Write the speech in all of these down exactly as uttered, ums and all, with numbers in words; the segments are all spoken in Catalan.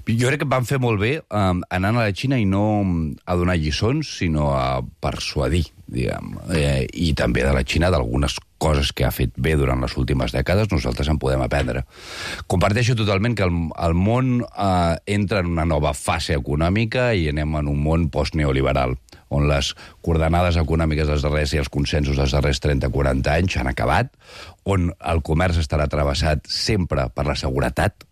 Jo crec que van fer molt bé um, anant a la Xina i no a donar lliçons, sinó a persuadir, diguem. Eh, I també de la Xina d'algunes coses que ha fet bé durant les últimes dècades, nosaltres en podem aprendre. Comparteixo totalment que el, el món eh, entra en una nova fase econòmica i anem en un món postneoliberal, on les coordenades econòmiques dels darrers i els consensos dels darrers trenta a quaranta anys han acabat, on el comerç estarà travessat sempre per la seguretat,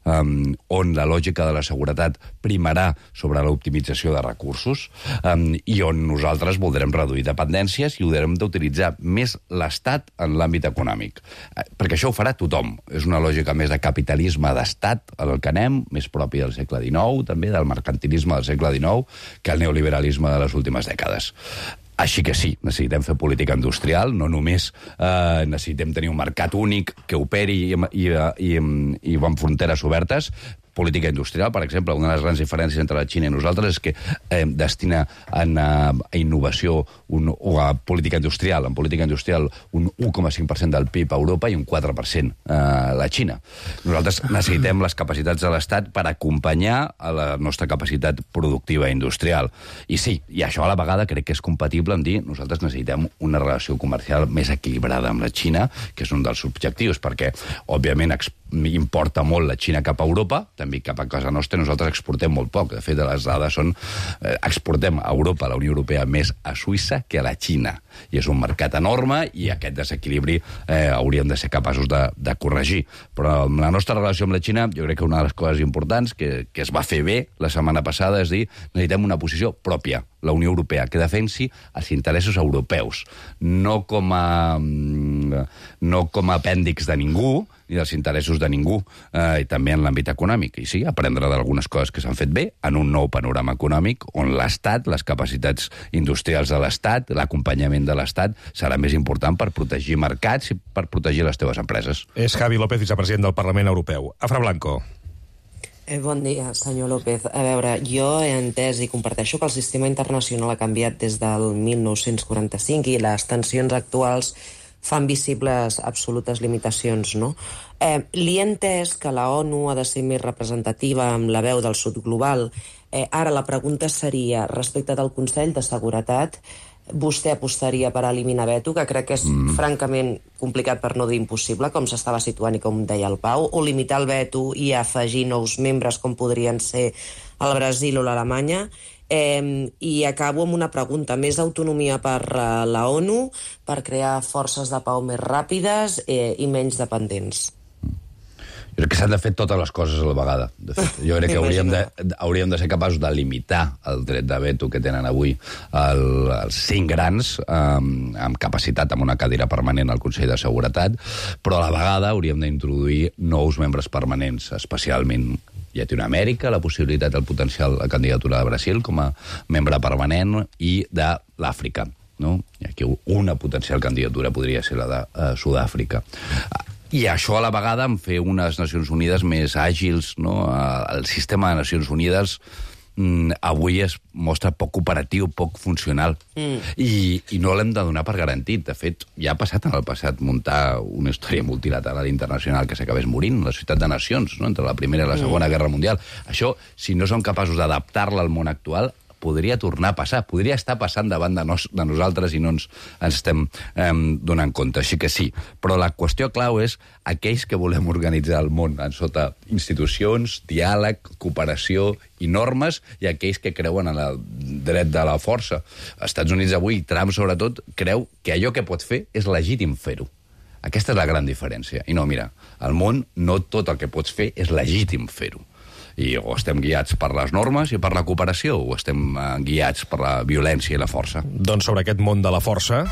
Um, on la lògica de la seguretat primarà sobre l'optimització de recursos um, i on nosaltres voldrem reduir dependències i haurem d'utilitzar més l'Estat en l'àmbit econòmic. Uh, perquè això ho farà tothom. És una lògica més de capitalisme d'Estat al que anem, més propi del segle dinou, també del mercantilisme del segle dinou, que el neoliberalisme de les últimes dècades. Així que sí, necessitem fer política industrial, no només eh, necessitem tenir un mercat únic que operi i, i, i, i amb fronteres obertes. Política industrial, per exemple, una de les grans diferències entre la Xina i nosaltres és que eh, destina en, a, a innovació un, o a política industrial, en política industrial un un coma cinc per cent del P I B a Europa i un quatre per cent a la Xina. Nosaltres necessitem les capacitats de l'Estat per acompanyar a la nostra capacitat productiva industrial. I sí, i això a la vegada crec que és compatible amb dir nosaltres necessitem una relació comercial més equilibrada amb la Xina, que és un dels objectius, perquè, òbviament, importa molt la Xina cap a Europa, també cap a casa nostra, nosaltres exportem molt poc. De fet, les dades són... Eh, exportem a Europa, a la Unió Europea, més a Suïssa que a la Xina. I és un mercat enorme i aquest desequilibri eh, hauríem de ser capaços de, de corregir. Però amb la nostra relació amb la Xina, jo crec que una de les coses importants que, que es va fer bé la setmana passada és dir necessitem una posició pròpia, la Unió Europea, que defensi els interessos europeus, no com a, no com a apèndix de ningú, ni dels interessos de ningú, eh, i també en l'àmbit econòmic. I sí, aprendre d'algunes coses que s'han fet bé en un nou panorama econòmic on l'Estat, les capacitats industrials de l'Estat, l'acompanyament de l'Estat serà més important per protegir mercats i per protegir les teves empreses. És Javi López, vicepresident del Parlament Europeu. Afra Blanco. Eh, bon dia, senyor López. A veure, jo he entès i comparteixo que el sistema internacional ha canviat des del mil nou-cents quaranta-cinc i les tensions actuals fan visibles absolutes limitacions, no? Eh, li he entès que la ONU ha de ser més representativa amb la veu del sud global. Eh, ara la pregunta seria, respecte del Consell de Seguretat, vostè apostaria per eliminar veto, que crec que és mm. francament complicat per no dir impossible, com s'estava situant i com deia el Pau, o limitar el veto i afegir nous membres com podrien ser el Brasil o l'Alemanya. Eh, I acabo amb una pregunta. Més autonomia per uh, la ONU per crear forces de pau més ràpides eh, i menys dependents? Jo crec que s'han de fer totes les coses a la vegada. De fet, jo crec que hauríem de, hauríem de ser capaços de limitar el dret de veto que tenen avui el, els cinc grans amb, amb capacitat, amb una cadira permanent al Consell de Seguretat, però a la vegada hauríem d'introduir nous membres permanents, especialment Llatinoamèrica, la possibilitat del potencial la candidatura de Brasil com a membre permanent i de l'Àfrica. No? I aquí una potencial candidatura podria ser la de uh, Sud-àfrica. I això a la vegada en fer unes Nacions Unides més àgils, no? El sistema de Nacions Unides mm, avui es mostra poc operatiu, poc funcional. Mm. I, I no l'hem de donar per garantit. De fet, ja ha passat en el passat muntar una història multilateral internacional que s'acabés morint, la Societat de Nacions, no? Entre la Primera i la Segona mm. Guerra Mundial. Això, si no som capaços d'adaptar-la al món actual, podria tornar a passar, podria estar passant davant de, nos, de nosaltres i no ens, ens estem eh, donant compte. Així que sí, però la qüestió clau és aquells que volem organitzar el món en sota institucions, diàleg, cooperació i normes, i aquells que creuen en el dret de la força. Els Estats Units avui, Trump sobretot, creu que allò que pot fer és legítim fer-ho. Aquesta és la gran diferència. I no, mira, al món no tot el que pots fer és legítim fer-ho. I o estem guiats per les normes i per la cooperació, o estem eh, guiats per la violència i la força. Doncs sobre aquest món de la força,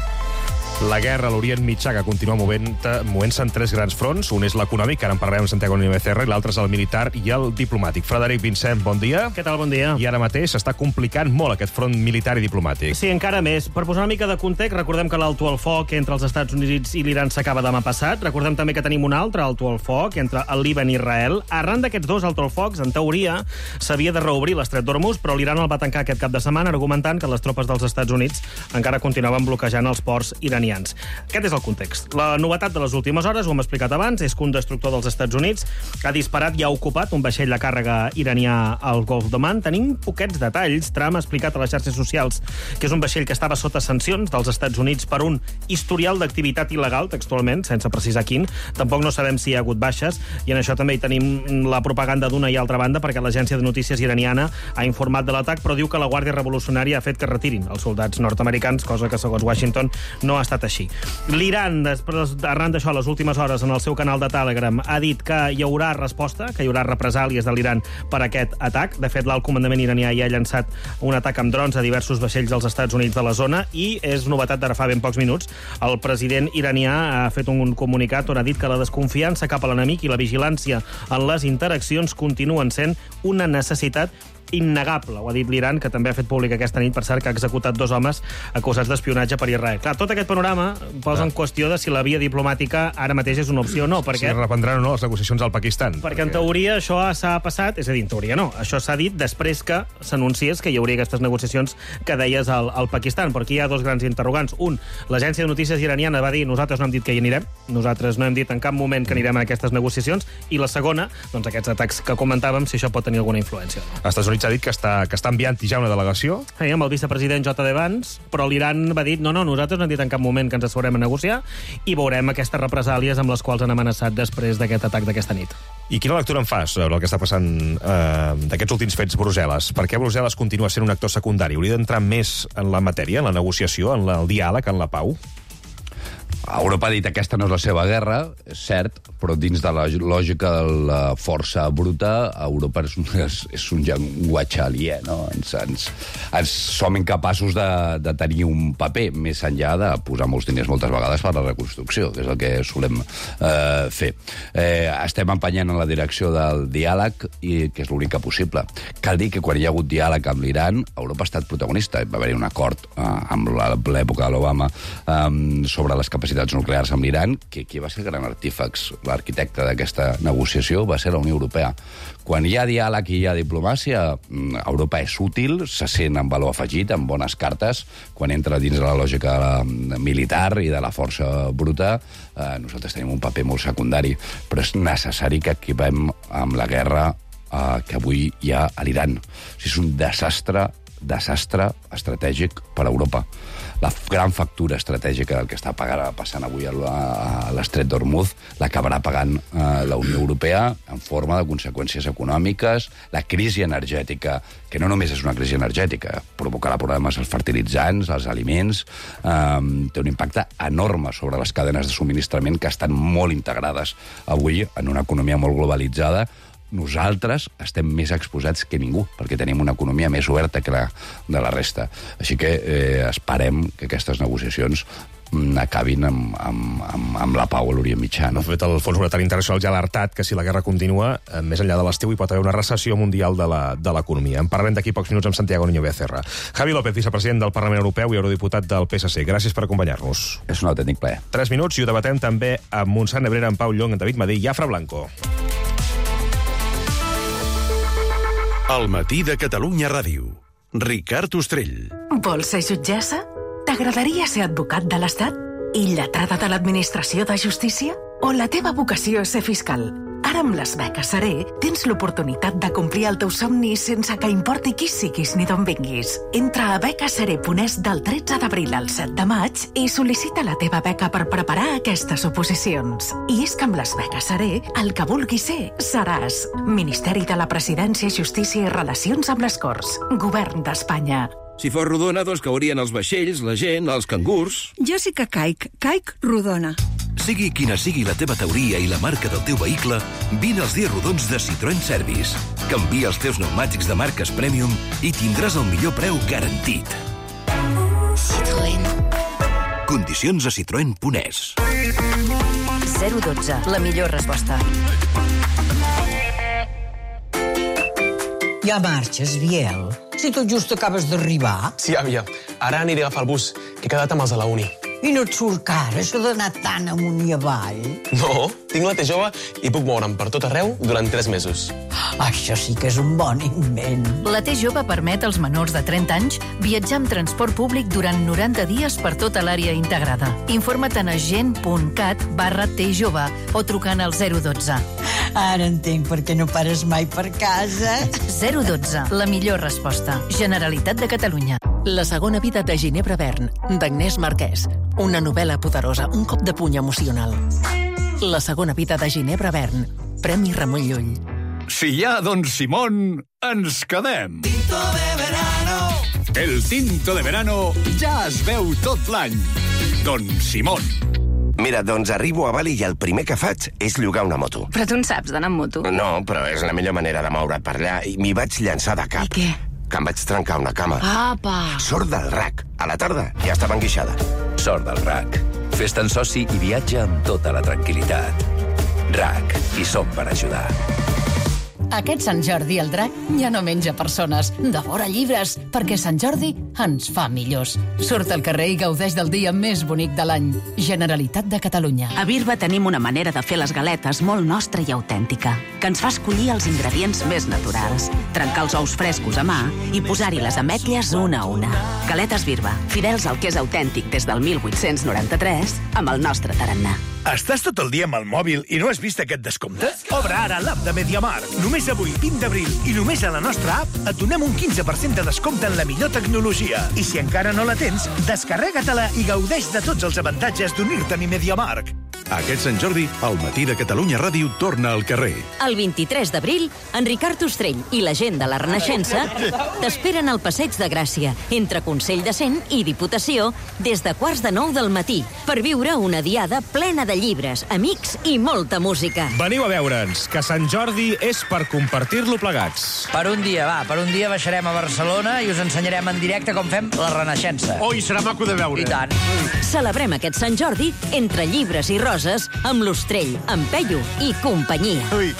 la guerra a l'Orient Mitjà que continua movent-se movent en tres grans fronts. Un és l'econòmic, que ara en parlarem amb Santiago Nieves Becerra, i l'altre és el militar i el diplomàtic. Frederic Vincent, bon dia. Què tal, bon dia. I ara mateix s'està complicant molt aquest front militar i diplomàtic. Sí, encara més. Per posar una mica de context, recordem que l'alto al foc entre els Estats Units i l'Iran s'acaba demà passat. Recordem també que tenim un altre alto al foc entre el Líban i Israel. Arran d'aquests dos alto al focs, en teoria, s'havia de reobrir l'estret d'Hormuz, però l'Iran el va tancar aquest cap de setmana argumentant que les tropes dels Estats Units encara continuaven bloquejant els ports iranians. iranians. Aquest és el context. La novetat de les últimes hores, ho hem explicat abans, és que un destructor dels Estats Units ha disparat i ha ocupat un vaixell de càrrega iranià al Golf d'Oman. Tenim poquets detalls. Trump ha explicat a les xarxes socials que és un vaixell que estava sota sancions dels Estats Units per un historial d'activitat il·legal, textualment, sense precisar quin. Tampoc no sabem si hi ha hagut baixes, i en això també hi tenim la propaganda d'una i altra banda, perquè l'agència de notícies iraniana ha informat de l'atac, però diu que la Guàrdia Revolucionària ha fet que retirin els soldats nord-americans, cosa que, segons Washington, no ha estat així. L'Iran, després, arran d'això, les últimes hores, en el seu canal de Telegram, ha dit que hi haurà resposta, que hi haurà represàlies de l'Iran per aquest atac. De fet, l'alt comandament iranià ja ha llançat un atac amb drons a diversos vaixells dels Estats Units de la zona, i és novetat d'ara fa ben pocs minuts. El president iranià ha fet un comunicat on ha dit que la desconfiança cap a l'enemic i la vigilància en les interaccions continuen sent una necessitat innegable, ho ha dit l'Iran, que també ha fet públic aquesta nit, per cert, que ha executat dos homes acusats d'espionatge per Israel. Clar, tot aquest panorama posa en qüestió de si la via diplomàtica ara mateix és una opció o no, perquè... Si reprendran o no les negociacions al Pakistan. Perquè, perquè en teoria això s'ha passat, és a dir, en teoria no, això s'ha dit després que s'anunciés que hi hauria aquestes negociacions que deies al, al Pakistan, perquè hi ha dos grans interrogants. Un, l'agència de notícies iraniana va dir nosaltres no hem dit que hi anirem, nosaltres no hem dit en cap moment que anirem a aquestes negociacions, i la segona, doncs aquests atacs que comentàvem, si això pot tenir alguna influència. Els Estats Units ha dit que està, que està enviant ja una delegació. Sí, amb el vicepresident J D Vance, però l'Iran va dir no, no, nosaltres no hem dit en cap moment que ens asseurem a negociar i veurem aquestes represàlies amb les quals han amenaçat després d'aquest atac d'aquesta nit. I quina lectura en fas sobre el que està passant eh, d'aquests últims fets Brussel·les? Per què Brussel·les continua sent un actor secundari? Hauria d'entrar més en la matèria, en la negociació, en la, el diàleg, en la pau? Europa ha dit que aquesta no és la seva guerra, és cert, però dins de la lògica de la força bruta, Europa és un, és, és un llenguatge aliè, no? Ens, ens, ens som incapaços de, de tenir un paper, més enllà de posar molts diners moltes vegades per a la reconstrucció, que és el que solem eh, fer. Eh, estem empenyant en la direcció del diàleg, i que és l'única possible. Cal dir que quan hi ha hagut diàleg amb l'Iran, Europa ha estat protagonista. Va haver-hi un acord eh, amb l'època de l'Obama eh, sobre les capacitats nuclears amb l'Iran, que qui va ser el gran artífex, l'arquitecte d'aquesta negociació, va ser la Unió Europea. Quan hi ha diàleg i hi ha diplomàcia, Europa és útil, se sent amb valor afegit, amb bones cartes. Quan entra dins de la lògica militar i de la força bruta, eh, nosaltres tenim un paper molt secundari, però és necessari que equipem amb la guerra eh, que avui hi ha a l'Iran. O sigui, és un desastre desastre estratègic per a Europa. La gran factura estratègica del que està passant avui a l'estret d'Hormuz l'acabarà pagant eh, la Unió Europea en forma de conseqüències econòmiques, la crisi energètica, que no només és una crisi energètica, provocarà problemes als fertilitzants, als aliments, eh, té un impacte enorme sobre les cadenes de subministrament que estan molt integrades avui en una economia molt globalitzada. Nosaltres estem més exposats que ningú, perquè tenim una economia més oberta que la de la resta. Així que eh, esperem que aquestes negociacions acabin amb, amb, amb, amb la pau a l'Orient Mitjà. No? De fet, el Fons Monetari Internacional ja ha alertat que si la guerra continua, eh, més enllà de l'estiu, hi pot haver una recessió mundial de l'economia. En parlem d'aquí pocs minuts amb Santiago Niño Becerra. Javi López, vicepresident del Parlament Europeu i eurodiputat del P S C. Gràcies per acompanyar-nos. És un autèntic plaer. Tres minuts i ho debatem també amb Montsant Nebrera, en Pau Llong, en David Madí i Afra Blanco. El matí de Catalunya Ràdio. Ricard Ostrell. Vols ser jutgessa? T'agradaria ser advocat de l'Estat? I lletrada de l'Administració de Justícia? O la teva vocació és ser fiscal? Ara amb les beques Seré tens l'oportunitat de complir el teu somni sense que importi qui siguis ni d'on vinguis. Entra a beques seré punt es del tretze d'abril al set de maig i sol·licita la teva beca per preparar aquestes oposicions. I és que amb les beques Seré, el que vulguis ser, seràs. Ministeri de la Presidència, Justícia i Relacions amb les Corts. Govern d'Espanya. Si fos rodona, doncs caurien els vaixells, la gent, els cangurs... Jo sí que caic. Caic rodona. Sigui quina sigui la teva teoria i la marca del teu vehicle, vine als dies rodons de Citroën Service. Canvia els teus pneumàtics de marques Premium i tindràs el millor preu garantit. Citroën. Condicions a citroen punt es. zero dotze, la millor resposta. Ja marxes, Biel? Si tot just acabes d'arribar. Sí, àvia. Ara aniré a agafar el bus, que he quedat amb els de la uni. I no et surt car, això d'anar tan amunt i avall? No, tinc la T jove i puc moure'm per tot arreu durant tres mesos. Això sí que és un bon invent. La T jove permet als menors de trenta anys viatjar amb transport públic durant noranta dies per tota l'àrea integrada. Informa't a gent.cat barra T jove o trucant al zero dotze. Ara entenc per què no pares mai per casa. zero dotze, la millor resposta. Generalitat de Catalunya. La segona vida de Ginebra Bern, d'Agnès Marquès. Una novel·la poderosa, un cop de puny emocional. La segona vida de Ginebra Bern. Premi Ramon Llull. Si hi ha Don Simón, ens quedem. Tinto de verano. El tinto de verano ja es veu tot l'any. Don Simón. Mira, doncs arribo a Bali i el primer que faig és llogar una moto. Però tu en saps d'anar amb moto? No, però és la millor manera de moure't per allà i m'hi vaig llançar de cap. I què? Que em vaig trencar una cama. Apa! Sort del R A C. A la tarda ja estava enguixada. Sort del R A C. Fes-te'n soci i viatja amb tota la tranquil·litat. R A C. Hi som per ajudar. Aquest Sant Jordi el drac ja no menja persones, devora llibres, perquè Sant Jordi ens fa millors. Surt al carrer i gaudeix del dia més bonic de l'any. Generalitat de Catalunya. A Birba tenim una manera de fer les galetes molt nostra i autèntica, que ens fa escollir els ingredients més naturals, trencar els ous frescos a mà i posar-hi les ametlles una a una. Galetes Birba, fidels al que és autèntic des del mil vuit-cents noranta-tres, amb el nostre tarannà. Estàs tot el dia amb el mòbil i no has vist aquest descompte? Obre ara l'app de MediaMarkt. Només avui, vint d'abril, i només a la nostra app, et donem un quinze per cent de descompte en la millor tecnologia. I si encara no la tens, descarrega-te-la i gaudeix de tots els avantatges d'unir-te'n a MediaMarkt. Aquest Sant Jordi, el Matí de Catalunya Ràdio torna al carrer. El vint-i-tres d'abril, en Ricard Ostrell i la gent de la Renaixença t'esperen al Passeig de Gràcia, entre Consell de Cent i Diputació, des de quarts de nou del matí, per viure una diada plena de llibres, amics i molta música. Veniu a veure'ns, que Sant Jordi és per compartir-lo plegats. Per un dia, va, per un dia baixarem a Barcelona i us ensenyarem en directe com fem la Renaixença. Oi, serà maco de veure. I tant. Celebrem aquest Sant Jordi entre llibres i roses amb l'Ostrell, en Peyu i companyia. Ui.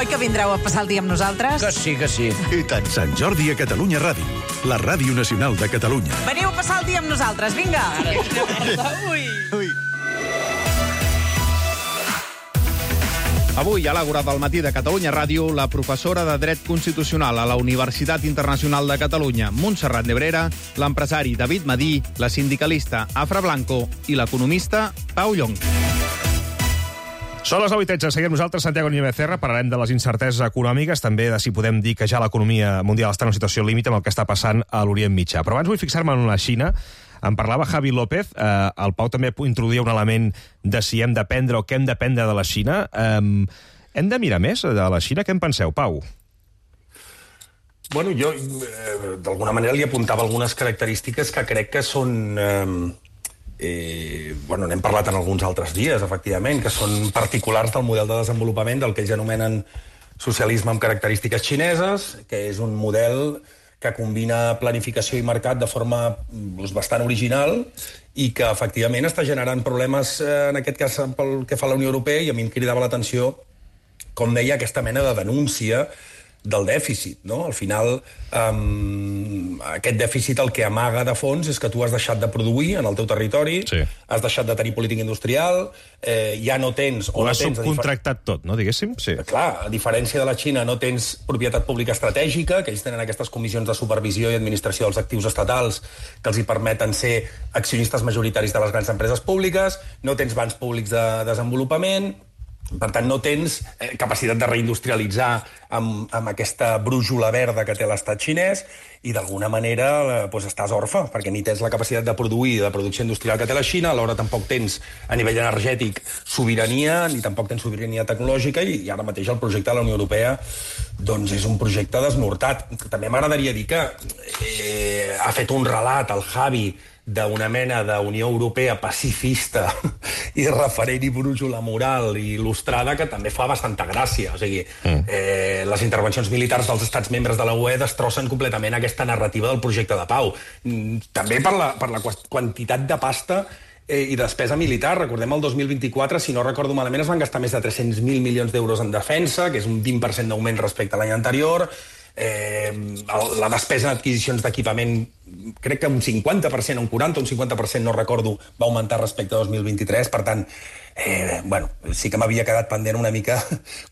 Oi que vindreu a passar el dia amb nosaltres? Que sí, que sí. I tant. Sant Jordi a Catalunya Ràdio, la ràdio nacional de Catalunya. Veniu a passar el dia amb nosaltres, vinga! Ui! Ui! Avui, a l'Àgora del Matí de Catalunya Ràdio, la professora de Dret Constitucional a la Universitat Internacional de Catalunya, Montserrat Nebrera, l'empresari David Madí, la sindicalista Afra Blanco i l'economista Pau Llong. Són les nou i tretze. Seguim nosaltres, Santiago Niño Becerra. Parlarem de les incerteses econòmiques, també de si podem dir que ja l'economia mundial està en una situació límit amb el que està passant a l'Orient Mitjà. Però abans vull fixar-me en la Xina. En parlava Javi López. Eh, el Pau també introduïa un element de si hem d'aprendre o què hem d'aprendre de la Xina. Eh, hem de mirar més de la Xina? Què en penseu, Pau? Bueno, jo eh, d'alguna manera li apuntava algunes característiques que crec que són... Eh, Eh, bueno, n'hem parlat en alguns altres dies, efectivament, que són particulars del model de desenvolupament del que ells anomenen socialisme amb característiques xineses, que és un model que combina planificació i mercat de forma doncs, bastant original i que, efectivament, està generant problemes, eh, en aquest cas, pel que fa a la Unió Europea, i a mi em cridava l'atenció, com deia, aquesta mena de denúncia del dèficit, no? Al final, um, aquest dèficit el que amaga de fons és que tu has deixat de produir en el teu territori, sí. Has deixat de tenir política industrial, eh, ja no tens... Ho no has tens, subcontractat tot, no, diguéssim? Sí. Clar, a diferència de la Xina, no tens propietat pública estratègica, que ells tenen aquestes comissions de supervisió i administració dels actius estatals que els hi permeten ser accionistes majoritaris de les grans empreses públiques, no tens bancs públics de desenvolupament... Per tant, no tens eh, capacitat de reindustrialitzar amb, amb aquesta brújula verda que té l'estat xinès i, d'alguna manera, eh, doncs estàs orfe, perquè ni tens la capacitat de produir de producció industrial que té la Xina, alhora tampoc tens, a nivell energètic, sobirania, ni tampoc tens sobirania tecnològica, i, i ara mateix el projecte de la Unió Europea doncs és un projecte desnortat. També m'agradaria dir que eh, ha fet un relat, el Javi, d'una mena d'Unió Europea pacifista i referent i brújula moral i il·lustrada que també fa bastanta gràcia. O sigui, mm. eh, les intervencions militars dels estats membres de la U E destrossen completament aquesta narrativa del projecte de pau. Mm, també per la, per la quantitat de pasta eh, i despesa militar. Recordem el dos mil vint-i-quatre, si no recordo malament, es van gastar més de tres-cents mil milions d'euros en defensa, que és un vint per cent d'augment respecte a l'any anterior. eh, la despesa en adquisicions d'equipament, crec que un cinquanta per cent, un quaranta, un cinquanta per cent, no recordo, va augmentar respecte a dos mil vint-i-tres, per tant, eh, bueno, sí que m'havia quedat pendent una mica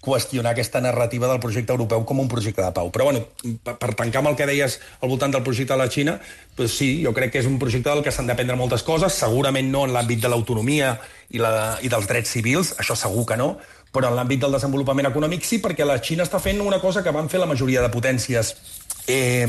qüestionar aquesta narrativa del projecte europeu com un projecte de pau. Però, bueno, per, per tancar amb el que deies al voltant del projecte de la Xina, doncs sí, jo crec que és un projecte del que s'han d'aprendre moltes coses, segurament no en l'àmbit de l'autonomia i, la, i dels drets civils, això segur que no, però en l'àmbit del desenvolupament econòmic sí, perquè la Xina està fent una cosa que van fer la majoria de potències eh,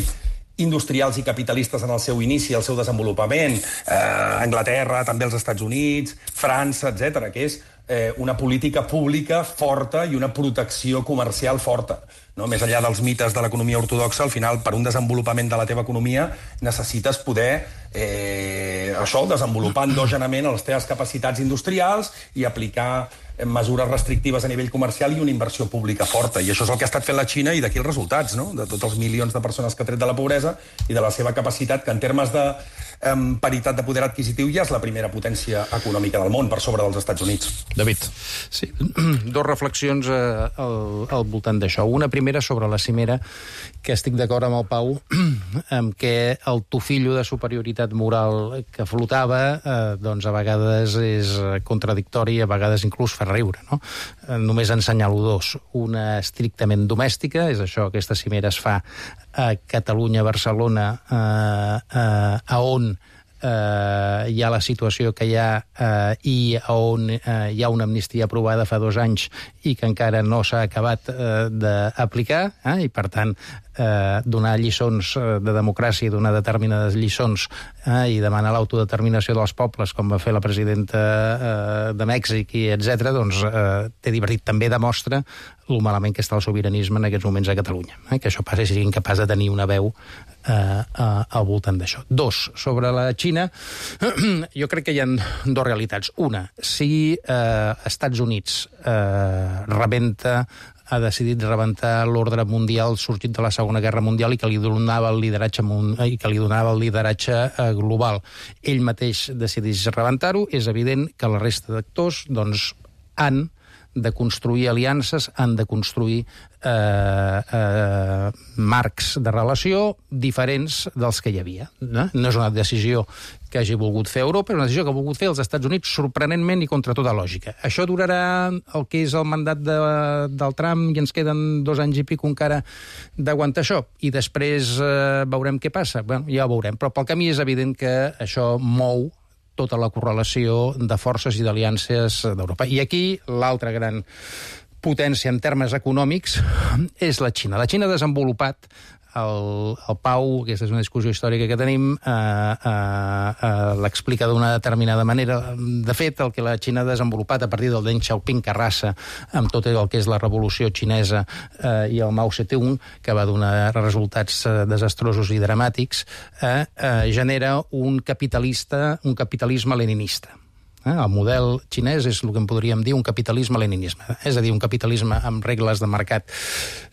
industrials i capitalistes en el seu inici, el seu desenvolupament, eh, Anglaterra, també els Estats Units, França, etcètera, que és eh, una política pública forta i una protecció comercial forta. No? Més enllà dels mites de l'economia ortodoxa, al final, per un desenvolupament de la teva economia, necessites poder eh, això, desenvolupar endogenament les teves capacitats industrials i aplicar mesures restrictives a nivell comercial i una inversió pública forta. I això és el que ha estat fent la Xina i d'aquí els resultats, no? De tots els milions de persones que ha tret de la pobresa i de la seva capacitat, que en termes de eh, paritat de poder adquisitiu ja és la primera potència econòmica del món, per sobre dels Estats Units. David. Sí, dos reflexions eh, al, al voltant d'això. Una primera sobre la cimera, que estic d'acord amb el Pau, amb què el tufillo de superioritat moral que flotava, eh, doncs a vegades és contradictori, a vegades inclús fa riure, no? Eh, només ensenyalo dos. Una estrictament domèstica, és això, aquesta cimera es fa a Catalunya, Barcelona, eh, eh, a on Uh, hi ha la situació que hi ha uh, i on uh, hi ha una amnistia aprovada fa dos anys i que encara no s'ha acabat uh, d'aplicar, eh? I per tant uh, donar lliçons uh, de democràcia i donar determinades lliçons eh? I demanar l'autodeterminació dels pobles, com va fer la presidenta uh, de Mèxic i etcètera, doncs uh, té divertit, també demostra lo malament que està el sobiranisme en aquests moments a Catalunya, eh? Que això passi, sigui incapaç de tenir una veu eh, uh, al voltant d'això. Dos, sobre la Xina, jo crec que hi ha dues realitats. Una, si eh, Estats Units eh, rebenta, ha decidit rebentar l'ordre mundial sorgit de la Segona Guerra Mundial i que li donava el lideratge, i que li donava el lideratge eh, global. Ell mateix decideix rebentar-ho, és evident que la resta d'actors doncs, han de construir aliances, han de construir eh, eh, marcs de relació diferents dels que hi havia. No? No és una decisió que hagi volgut fer Europa, és una decisió que ha volgut fer els Estats Units sorprenentment i contra tota lògica. Això durarà el que és el mandat de, del Trump i ens queden dos anys i pico encara d'aguantar això. I després eh, veurem què passa. Bueno, ja ho veurem, però pel camí és evident que això mou tota la correlació de forces i d'aliances d'Europa. I aquí l'altra gran potència en termes econòmics és la Xina. La Xina ha desenvolupat el, el Pau, aquesta és una discussió històrica que tenim, eh, eh, eh, l'explica d'una determinada manera. De fet, el que la Xina ha desenvolupat a partir del Deng Xiaoping, que arrasa amb tot el que és la revolució xinesa eh, i el Mao Zedong, que va donar resultats eh, desastrosos i dramàtics, eh, eh, genera un capitalista, un capitalisme leninista. Eh? El model xinès és el que en podríem dir un capitalisme-leninisme, és a dir, un capitalisme amb regles de mercat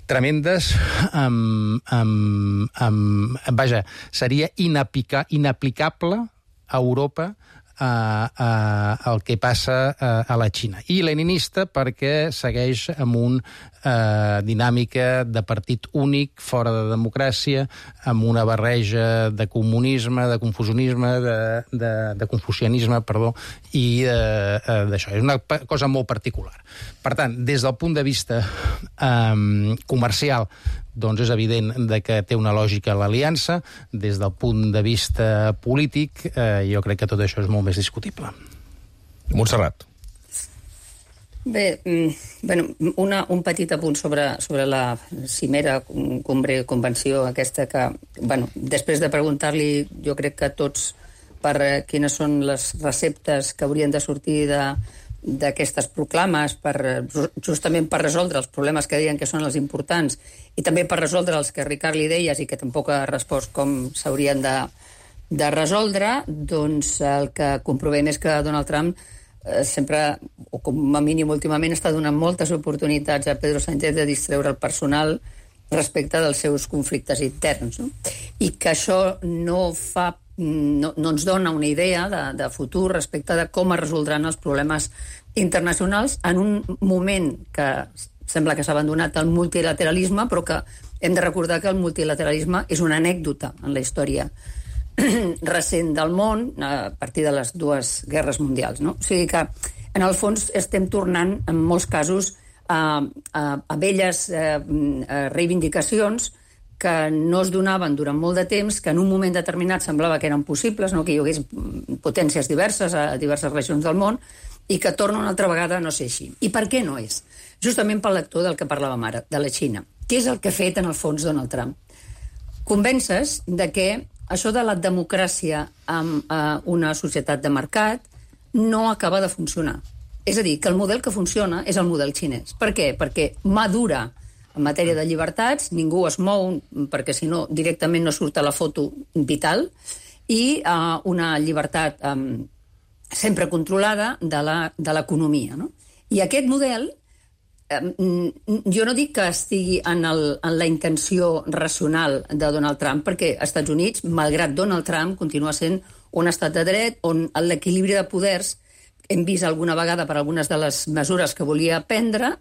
tremendes, amb, amb, amb, vaja, seria inaplica, inaplicable a Europa a, a, el que passa a, a la Xina. I leninista perquè segueix amb una eh, dinàmica de partit únic, fora de democràcia, amb una barreja de comunisme, de confusionisme, de, de, de confucianisme, perdó, i eh, d'això. És una cosa molt particular. Per tant, des del punt de vista eh, comercial, doncs és evident de que té una lògica l'aliança. Des del punt de vista polític, eh, jo crec que tot això és molt més discutible. Montserrat. Bé, bueno, una, un petit apunt sobre, sobre la cimera, cumbre, convenció aquesta que, bueno, després de preguntar-li, jo crec que tots per quines són les receptes que haurien de sortir de d'aquestes proclames per, justament per resoldre els problemes que deien que són els importants i també per resoldre els que Ricard li deies i que tampoc ha respost com s'haurien de, de resoldre, doncs el que comprovem és que Donald Trump eh, sempre, o com a mínim últimament, està donant moltes oportunitats a Pedro Sánchez de distreure el personal respecte dels seus conflictes interns, no? I que això no fa No, no ens dona una idea de, de futur respecte de com es resoldran els problemes internacionals en un moment que sembla que s'ha abandonat el multilateralisme, però que Hem de recordar que el multilateralisme és una anècdota en la història recent del món a partir de les dues guerres mundials, no? O sigui que, en el fons, estem tornant, en molts casos, a, a, a velles eh, reivindicacions que no es donaven durant molt de temps, que en un moment determinat semblava que eren possibles, no? Que hi hagués potències diverses a diverses regions del món, i que torna una altra vegada a no ser així. I per què no és? Justament pel lector del que parlàvem ara, de la Xina. Què és el que ha fet, en el fons, Donald Trump? Convèncer de que això de la democràcia en eh, una societat de mercat no acaba de funcionar. És a dir, que el model que funciona és el model xinès. Per què? Perquè madura en matèria de llibertats, ningú es mou, perquè si no directament no surt a la foto vital, i eh, una llibertat eh, sempre controlada de l'economia, no? I aquest model, eh, jo no dic que estigui en, el, en la intenció racional de Donald Trump, perquè als Estats Units, malgrat Donald Trump, continua sent un estat de dret on l'equilibri de poders, hem vist alguna vegada per algunes de les mesures que volia prendre,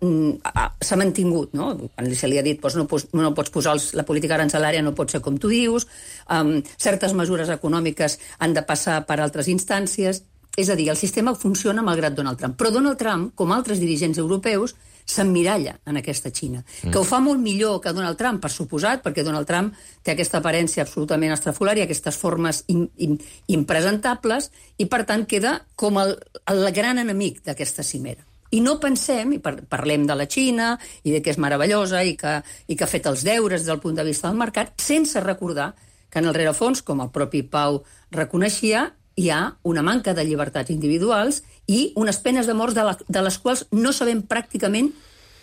s'ha mantingut, no? Quan se li ha dit, doncs no, pots, no pots posar els, la política arancelària, no pot ser com tu dius, um, certes mesures econòmiques han de passar per altres instàncies. És a dir, el sistema funciona malgrat Donald Trump. Però Donald Trump, com altres dirigents europeus, s'emmiralla en aquesta Xina, mm. que ho fa molt millor que Donald Trump, per suposat, perquè Donald Trump té aquesta aparència absolutament estrafolària, aquestes formes im, im, impresentables, i per tant queda com el, el gran enemic d'aquesta cimera. I no pensem, i par parlem de la Xina, i de que és meravellosa, i que, i que ha fet els deures des del punt de vista del mercat, sense recordar que en el rerefons, com el propi Pau reconeixia, hi ha una manca de llibertats individuals i unes penes de mort de, la, de les quals no sabem pràcticament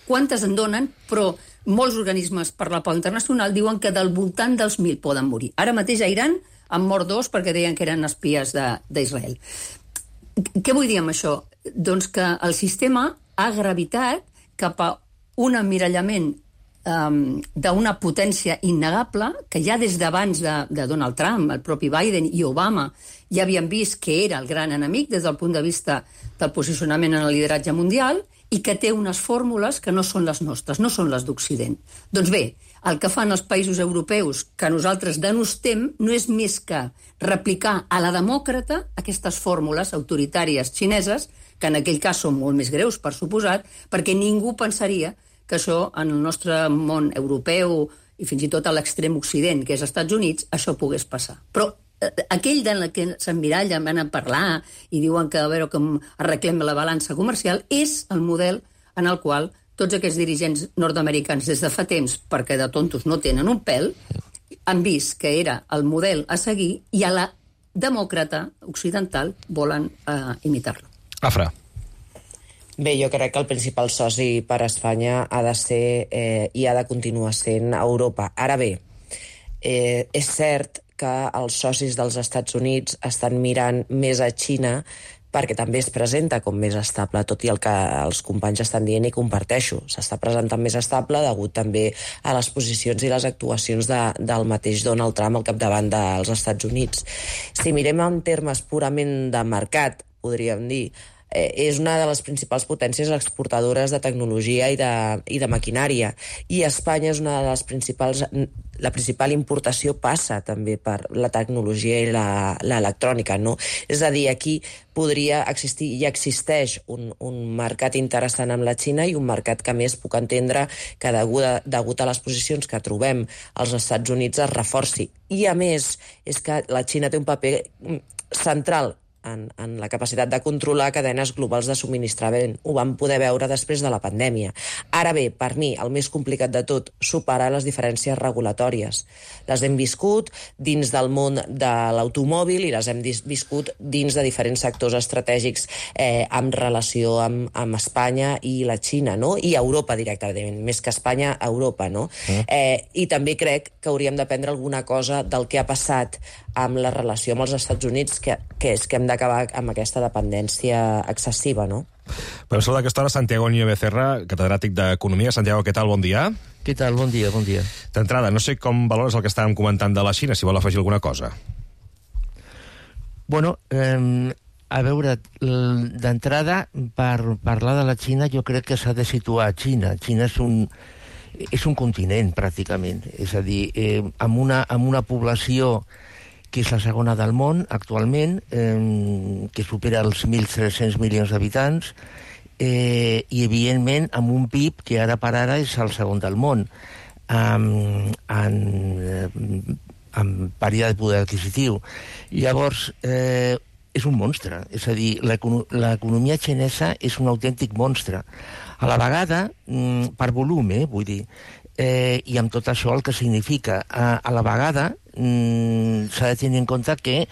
quantes en donen, però molts organismes per la pau internacional diuen que del voltant dels mil poden morir. Ara mateix a Iran han mort dos perquè deien que eren espies d'Israel. Què vull dir amb això? Doncs que el sistema ha gravitat cap a un emmirallament Um, d'una potència innegable que ja des d'abans de, de Donald Trump, el propi Biden i Obama ja havien vist que era el gran enemic des del punt de vista del posicionament en el lideratge mundial i que té unes fórmules que no són les nostres, no són les d'Occident. Doncs bé, el que fan els països europeus que nosaltres denostem no és més que replicar a la demòcrata aquestes fórmules autoritàries xineses, que en aquell cas són molt més greus, per suposat, perquè ningú pensaria que això, en el nostre món europeu i fins i tot a l'extrem occident, que és als Estats Units, això pogués passar. Però eh, aquell de la que s'emmirallen, van a parlar i diuen que a veure com arreglem la balança comercial, és el model en el qual tots aquests dirigents nord-americans des de fa temps, perquè de tontos no tenen un pèl, han vist que era el model a seguir i a la demòcrata occidental volen eh, imitar-lo. Afra. Bé, jo crec que el principal soci per a Espanya ha de ser eh, i ha de continuar sent Europa. Ara bé, eh, és cert que els socis dels Estats Units estan mirant més a Xina perquè també es presenta com més estable, tot i el que els companys estan dient i comparteixo. S'està presentant més estable degut també a les posicions i les actuacions de, del mateix Donald Trump al capdavant dels Estats Units. Si mirem en termes purament de mercat, podríem dir, eh, és una de les principals potències exportadores de tecnologia i de, i de maquinària, i Espanya és una de les principals... La principal importació passa també per la tecnologia i l'electrònica, no? És a dir, aquí podria existir i existeix un, un mercat interessant amb la Xina i un mercat que més puc entendre que degut a, degut a les posicions que trobem als Estats Units es reforci. I a més, és que la Xina té un paper central En, en la capacitat de controlar cadenes globals de subministrament. Ho vam poder veure després de la pandèmia. Ara bé, per mi, el més complicat de tot, superar les diferències regulatòries. Les hem viscut dins del món de l'automòbil i les hem viscut dins de diferents sectors estratègics eh, en relació amb, amb Espanya i la Xina, no? I Europa directament, més que Espanya, Europa, no? Mm. Eh, I també crec que hauríem d'aprendre alguna cosa del que ha passat amb la relació amb els Estats Units, que, que és que hem d'acabar amb aquesta dependència excessiva, no? Per saludar aquesta hora Santiago Niño Becerra, catedràtic d'Economia. Santiago, què tal? Bon dia. Què tal? Bon dia, bon dia. D'entrada, no sé com valores el que estàvem comentant de la Xina, si vol afegir alguna cosa. Bueno, eh, a veure, d'entrada, per parlar de la Xina, jo crec que s'ha de situar a Xina. Xina és un, és un continent, pràcticament. És a dir, eh, amb, una, amb una població que és la segona del món, actualment, eh, que supera els mil tres-cents milions d'habitants, eh, i, evidentment, amb un P I B que ara per ara és el segon del món, amb, amb, amb període de poder adquisitiu. Llavors, eh, és un monstre. És a dir, l'economia xinesa és un autèntic monstre. A la vegada, per volum, eh, vull dir, eh, i amb tot això el que significa. A, a la vegada, mm, s'ha de tenir en compte que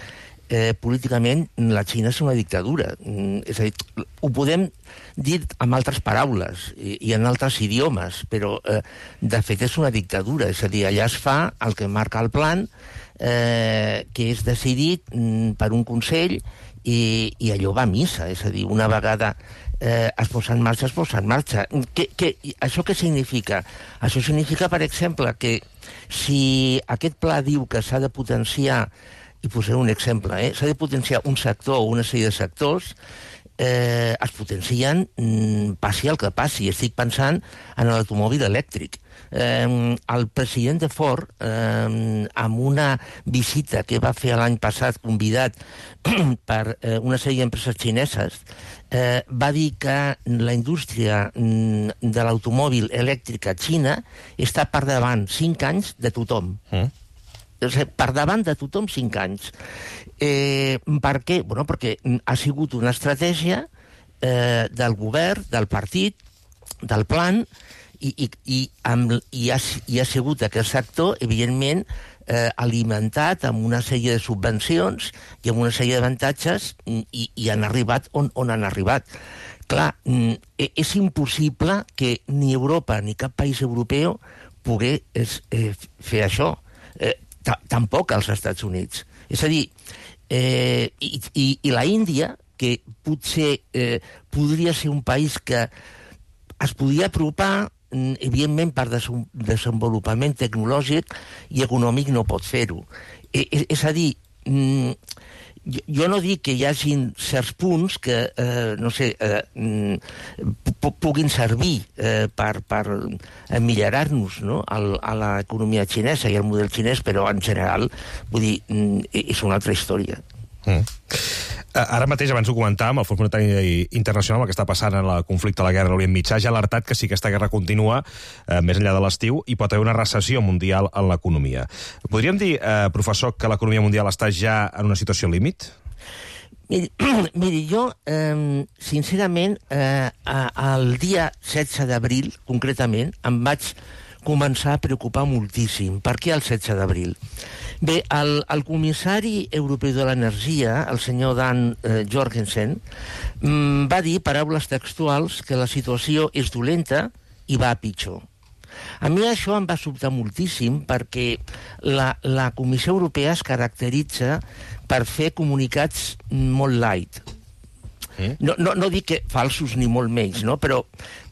eh, políticament la Xina és una dictadura. Mm, és a dir, ho podem dir amb altres paraules i, i en altres idiomes, però eh, de fet és una dictadura. És a dir, allà es fa el que marca el plan, eh, que és decidit mm, per un consell i, i allò va a missa. És a dir, una vegada eh, es posa en marxa, es posa en marxa. Que, que, això què significa? Això significa, per exemple, que si aquest pla diu que s'ha de potenciar, i posaré un exemple, eh, s'ha de potenciar un sector o una sèrie de sectors, eh, es potencien, mm, passi el que passi. Estic pensant en l'automòbil elèctric. Eh, el president de Ford, eh, amb una visita que va fer l'any passat, convidat per eh, una sèrie d'empreses xineses, eh, va dir que la indústria mm, de l'automòbil elèctric a Xina està per davant cinc anys de tothom. Mm. O sigui, per davant de tothom cinc anys. Eh, per què? Bueno, perquè ha sigut una estratègia eh, del govern, del partit, del plan, i, i, i, amb, i, ha, i ha sigut aquest sector, evidentment, eh, alimentat amb una sèrie de subvencions i amb una sèrie d'avantatges, i, i han arribat on, on han arribat. Clar, és impossible que ni Europa ni cap país europeu pogués eh, fer això. Eh, tampoc als Estats Units. És a dir, eh, i, i, i la Índia, que potser eh, podria ser un país que es podria apropar, evidentment per des desenvolupament tecnològic i econòmic no pot fer-ho. Eh, és, és a dir, mm, jo no dic que hi hagin certs punts que, eh, no sé, eh, puguin servir eh, per, per millorar-nos, no?, a l'economia xinesa i al model xinès, però en general, vull dir, és una altra història. Mm. Ara mateix, abans ho comentàvem, el Fons Monetari Internacional, el que està passant en el conflicte de la guerra a l'Orient Mitjà, ja ha alertat que si aquesta guerra continua eh, més enllà de l'estiu, hi pot haver una recessió mundial en l'economia. Podríem dir, eh, professor, que l'economia mundial està ja en una situació límit? Miri, miri jo, eh, sincerament, eh, el dia setze d'abril, concretament, em vaig començar a preocupar moltíssim. Per què el setze d'abril? Bé, el, el comissari europeu de l'energia, el senyor Dan eh, Jorgensen, mm, va dir, paraules textuals, que la situació és dolenta i va a pitjor. A mi això em va sobtar moltíssim perquè la, la Comissió Europea es caracteritza per fer comunicats molt light. No, no, no dic que falsos ni molt menys, no? Però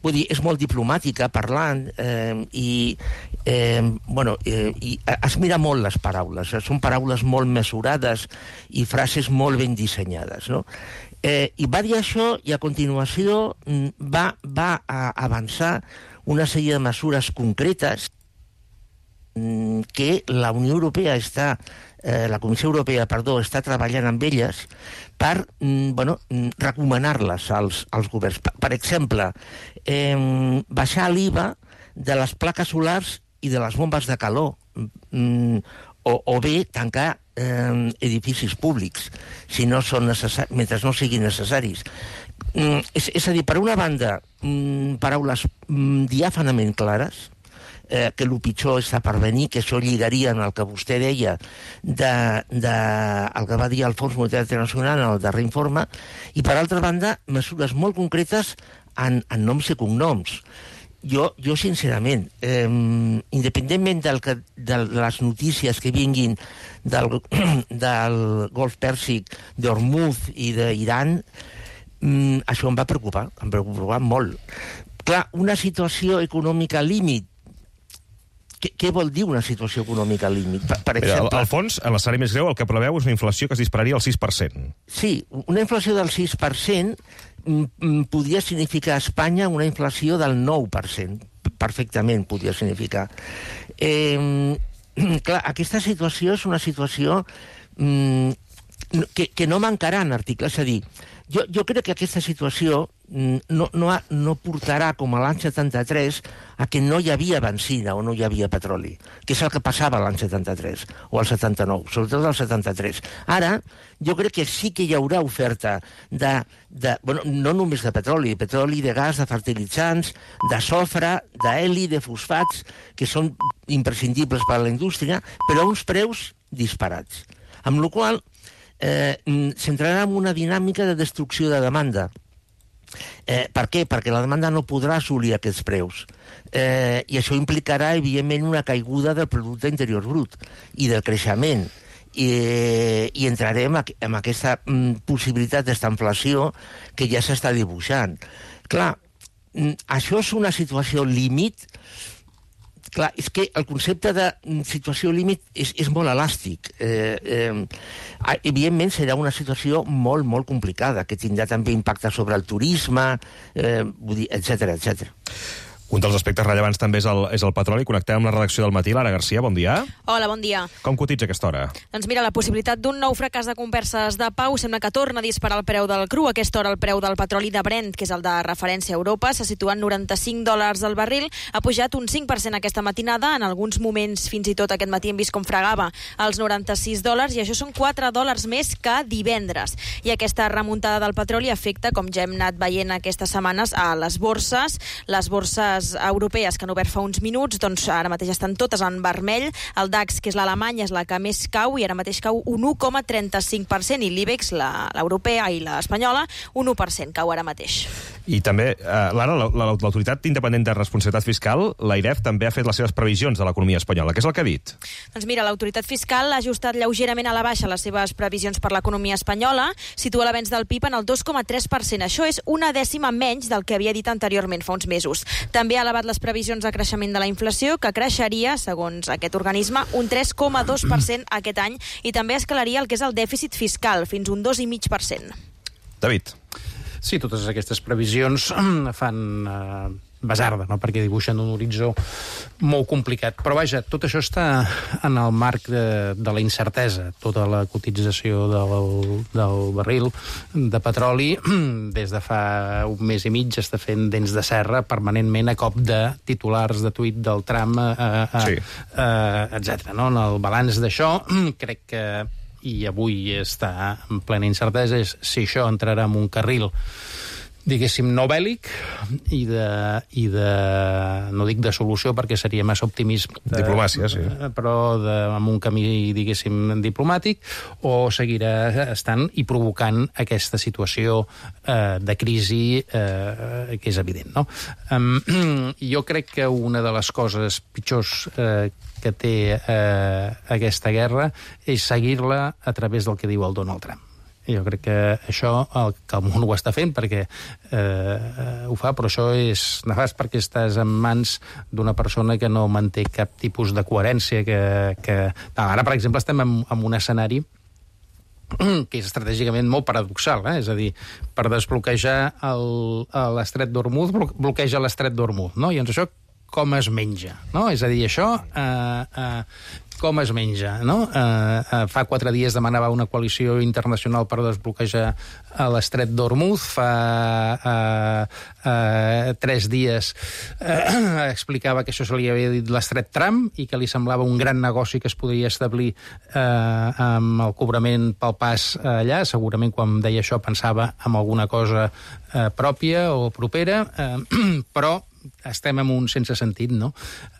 vull dir, és molt diplomàtica parlant eh, i, eh, bueno, eh, i es mira molt les paraules, eh? Són paraules molt mesurades i frases molt ben dissenyades, no? Eh, I va dir això i a continuació va, va a avançar una sèrie de mesures concretes que la Unió Europea està, eh, la Comissió Europea, perdó, està treballant amb elles per, mm, bueno, recomanar-les als, als governs. Per, per exemple, eh, baixar l'I V A de les plaques solars i de les bombes de calor, mm, o, o bé tancar eh, edificis públics, si no són necessaris, mentre no siguin necessaris. Mm, és, és a dir, per una banda, mm, paraules mm, diàfanament clares, Eh, que el pitjor està per venir, que això lligaria en el que vostè deia de, de, el que va dir el Fons Monetari Internacional en el darrer informe, i per altra banda, mesures molt concretes en, en noms i cognoms. Jo, jo sincerament, eh, independentment del que, de les notícies que vinguin del, del Golf Pèrsic, d'Hormuz i d'Iran, mm, això em va preocupar, em va preocupar molt. Clar, una situació econòmica límit. Què, què vol dir una situació econòmica límit? Per, per exemple... Mira, al fons, en l'escenari més greu, el que preveu és una inflació que es dispararia al sis per cent. Sí, una inflació del sis per cent podria significar a Espanya una inflació del nou per cent. perfectament podia significar. Eh, clar, aquesta situació és una situació mm, que, que no mancarà en articles, és a dir, jo, jo crec que aquesta situació no, no, ha, no portarà, com a l'any setanta-tres, a que no hi havia benzina o no hi havia petroli, que és el que passava l'any setanta-tres o el setanta-nou, sobretot el setanta-tres. Ara, jo crec que sí que hi haurà oferta de, de bueno, no només de petroli, petroli, de gas, de fertilitzants, de sofre, d'heli, de fosfats, que són imprescindibles per a la indústria, però a uns preus disparats. Amb la qual cosa, eh, s'entrarà en una dinàmica de destrucció de demanda. Eh, per què? Perquè la demanda no podrà assolir aquests preus. Eh, I això implicarà, evidentment, una caiguda del producte interior brut i del creixement. I, i entrarem en aquesta mm, possibilitat d'estanflació que ja s'està dibuixant. Clar, mm, això és una situació límit. Clar, és que el concepte de situació límit és, és molt elàstic. Eh, eh, evidentment serà una situació molt, molt complicada, que tindrà també impacte sobre el turisme, eh, etcètera, etcètera. Un dels aspectes rellevants també és el, és el petroli. Connectem amb la redacció del Matí. Lara Garcia, bon dia. Hola, bon dia. Com cotitza aquesta hora? Doncs mira, la possibilitat d'un nou fracàs de converses de pau sembla que torna a disparar el preu del cru. A aquesta hora el preu del petroli de Brent, que és el de referència a Europa, se situa en noranta-cinc dòlars al barril. Ha pujat un cinc per cent aquesta matinada. En alguns moments, fins i tot aquest matí, hem vist com fregava els noranta-sis dòlars, i això són quatre dòlars més que divendres. I aquesta remuntada del petroli afecta, com ja hem anat veient aquestes setmanes, a les borses. Les borses europees que han obert fa uns minuts, doncs ara mateix estan totes en vermell. El DAX, que és l'Alemanya, és la que més cau i ara mateix cau un u coma trenta-cinc per cent, i l'IBEX, l'europea i l'espanyola, un u per cent cau ara mateix. I també, eh, Lara, l'Autoritat Independent de Responsabilitat Fiscal, l'AIREF, també ha fet les seves previsions de l'economia espanyola. Què és el que ha dit? Doncs mira, l'autoritat fiscal ha ajustat lleugerament a la baixa les seves previsions per l'economia espanyola, situa l'avenç del P I B en el dos coma tres per cent. Això és una dècima menys del que havia dit anteriorment, fa uns mesos. També ha elevat les previsions de creixement de la inflació, que creixeria, segons aquest organisme, un tres coma dos per cent aquest any, i també escalaria el que és el dèficit fiscal, fins un dos coma cinc per cent. David. Sí, totes aquestes previsions fan eh, basarda, no? Perquè dibuixen un horitzó molt complicat. Però vaja, tot això està en el marc de, de la incertesa. Tota la cotització del, del barril de petroli des de fa un mes i mig està fent dents de serra permanentment a cop de titulars de tuit del Trump, eh, eh, sí. eh, etcètera. No? En el balanç d'això, crec que i avui està en plena incertesa, és si això entrarà en un carril, diguéssim, no bèl·lic i de, i de, no dic de solució perquè seria massa optimisme. De, Diplomàcia, sí. Però de, amb un camí, diguéssim, diplomàtic, o seguirà estant i provocant aquesta situació eh, de crisi eh, que és evident, no? Um, jo crec que una de les coses pitjors eh, que té eh, aquesta guerra és seguir-la a través del que diu el Donald Trump. I jo crec que això, el, que el món ho està fent perquè eh, ho fa, però això és nefast perquè estàs en mans d'una persona que no manté cap tipus de coherència. Que, que... Ara, per exemple, estem en, en un escenari que és estratègicament molt paradoxal, eh? És a dir, per desbloquejar l'estret d'Hormuz, bloqueja l'estret d'Hormuz, no? I doncs això com es menja, no? És a dir, això eh, eh, com es menja, no? Eh, eh, fa quatre dies demanava una coalició internacional per desbloquejar l'estret d'Hormuz, fa eh, eh, tres dies eh, explicava que això se li havia dit l'estret Trump i que li semblava un gran negoci que es podria establir eh, amb el cobrament pel pas allà. Segurament quan deia això pensava en alguna cosa eh, pròpia o propera, eh, però estem en un sense sentit, no?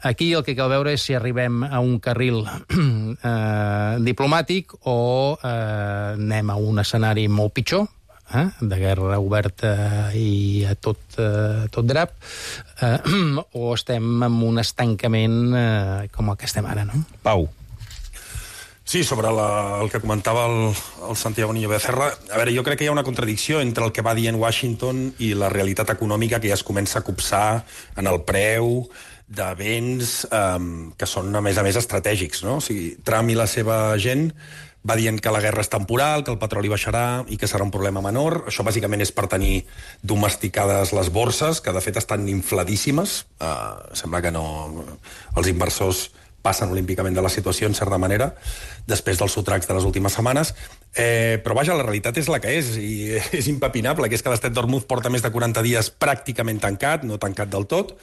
Aquí el que cal veure és si arribem a un carril eh, diplomàtic o eh, anem a un escenari molt pitjor, eh, de guerra oberta i a tot, eh, tot drap, eh, o estem en un estancament eh, com el que estem ara, no? Pau. Sí, sobre la, el que comentava el, el Santiago Niño Becerra, a veure, jo crec que hi ha una contradicció entre el que va dient Washington i la realitat econòmica que ja es comença a copsar en el preu de béns eh, que són, a més a més, estratègics, no? O sigui, Trump i la seva gent va dient que la guerra és temporal, que el petroli baixarà i que serà un problema menor. Això bàsicament és per tenir domesticades les borses, que de fet estan infladíssimes. Uh, sembla que no... Els inversors passen olímpicament de la situació, en certa manera, després dels sotracs de les últimes setmanes. Eh, però, vaja, la realitat és la que és, i és impepinable, que és que l'Estret d'Hormuz porta més de quaranta dies pràcticament tancat, no tancat del tot,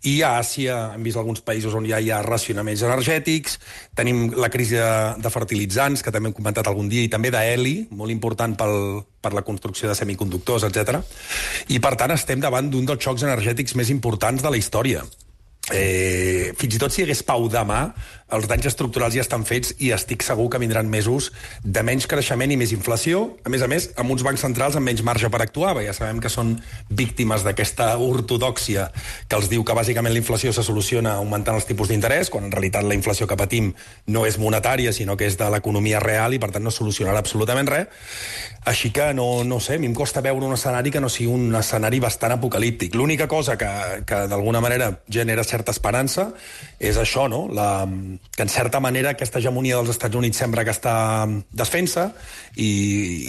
i a Àsia hem vist alguns països on ja hi ha racionaments energètics, tenim la crisi de, de fertilitzants, que també hem comentat algun dia, i també d'heli, molt important pel, per la construcció de semiconductors, etcètera. I, per tant, estem davant d'un dels xocs energètics més importants de la història. Eh, fins i tot si hi hagués pau demà, els danys estructurals ja estan fets i estic segur que vindran mesos de menys creixement i més inflació, a més a més amb uns bancs centrals amb menys marge per actuar, perquè ja sabem que són víctimes d'aquesta ortodòxia que els diu que bàsicament la inflació se soluciona augmentant els tipus d'interès, quan en realitat la inflació que patim no és monetària sinó que és de l'economia real i per tant no solucionarà absolutament res. Així que no, no sé, a mi em costa veure un escenari que no sigui un escenari bastant apocalíptic. L'única cosa que, que d'alguna manera genera certa esperança és això, no? La, que en certa manera aquesta hegemonia dels Estats Units sembla que està desfent-se i,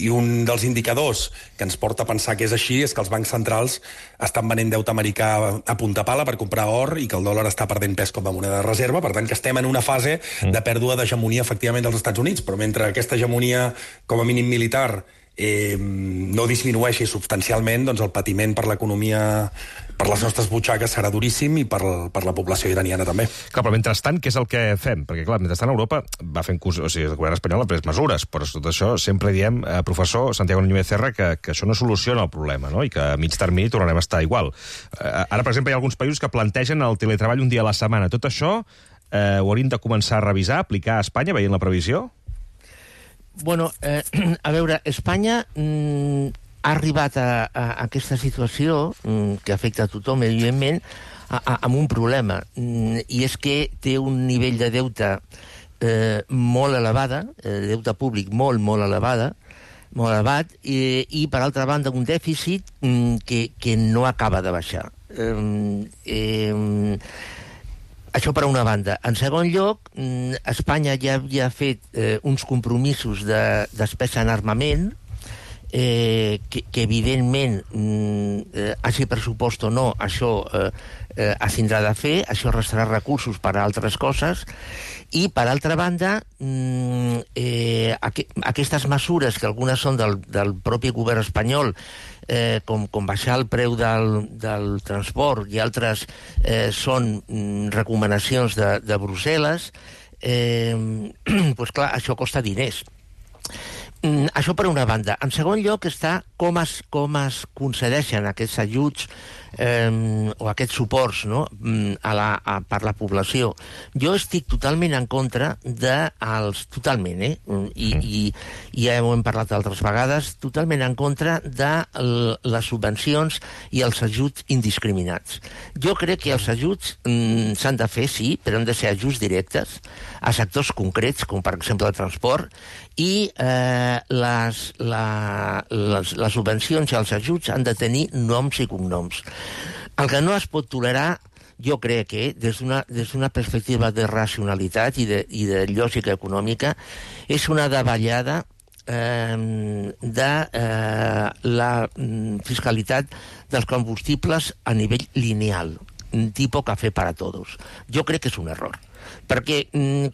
i un dels indicadors que ens porta a pensar que és així és que els bancs centrals estan venent deute americà a punta pala per comprar or i que el dòlar està perdent pes com a moneda de reserva, per tant que estem en una fase de pèrdua d'hegemonia efectivament dels Estats Units, però mentre aquesta hegemonia com a mínim militar eh, no disminueixi substancialment, doncs el patiment per l'economia, per les nostres butxaques serà duríssim i per, per la població iraniana també. Clar, però mentrestant, què és el que fem? Perquè, clar, mentrestant Europa va fent curs... O sigui, el govern espanyol ha pres mesures, però tot això sempre diem, eh, professor Santiago Núñez Serra, que, que això no soluciona el problema, no? I que a mig termini tornarem a estar igual. Eh, ara, per exemple, hi ha alguns països que plantegen el teletreball un dia a la setmana. Tot això eh, ho hauríem de començar a revisar, aplicar a Espanya, veient la previsió? Bueno, eh, a veure, Espanya mm, ha arribat a, a, a aquesta situació mm, que afecta a tothom, evidentment, a, a, amb un problema, mm, i és que té un nivell de deute eh, molt elevada, eh, deute públic molt, molt elevada, molt elevat, i, i per altra banda un dèficit mm, que, que no acaba de baixar. Eh, eh, Això per una banda. En segon lloc, Espanya ja havia fet eh, uns compromisos de despesa en armament, eh, que, que evidentment, eh, hagi pressupost o no, això eh, eh, es tindrà de fer, això restarà recursos per a altres coses, i per altra banda, eh, aqu aquestes mesures, que algunes són del, del propi govern espanyol, Eh, com, com baixar el preu del, del transport i altres eh, són mm, recomanacions de, de Brussel·les, eh, pues clar, això costa diners. Mm, això per una banda. En segon lloc està com es, com es concedeixen aquests ajuts eh, o aquests suports, no? a la, a, per la població. Jo estic totalment en contra de els... Totalment, eh? I, i, i ja ho hem parlat altres vegades, totalment en contra de les subvencions i els ajuts indiscriminats. Jo crec que els ajuts mm, s'han de fer, sí, però han de ser ajuts directes a sectors concrets, com per exemple el transport, i eh, les, la, les, les subvencions i els ajuts han de tenir noms i cognoms. El que no es pot tolerar, jo crec que des d'una des d'una perspectiva de racionalitat i de, i de lògica econòmica, és una davallada eh, de eh, la fiscalitat dels combustibles a nivell lineal, tipus cafè para todos. Jo crec que és un error, perquè,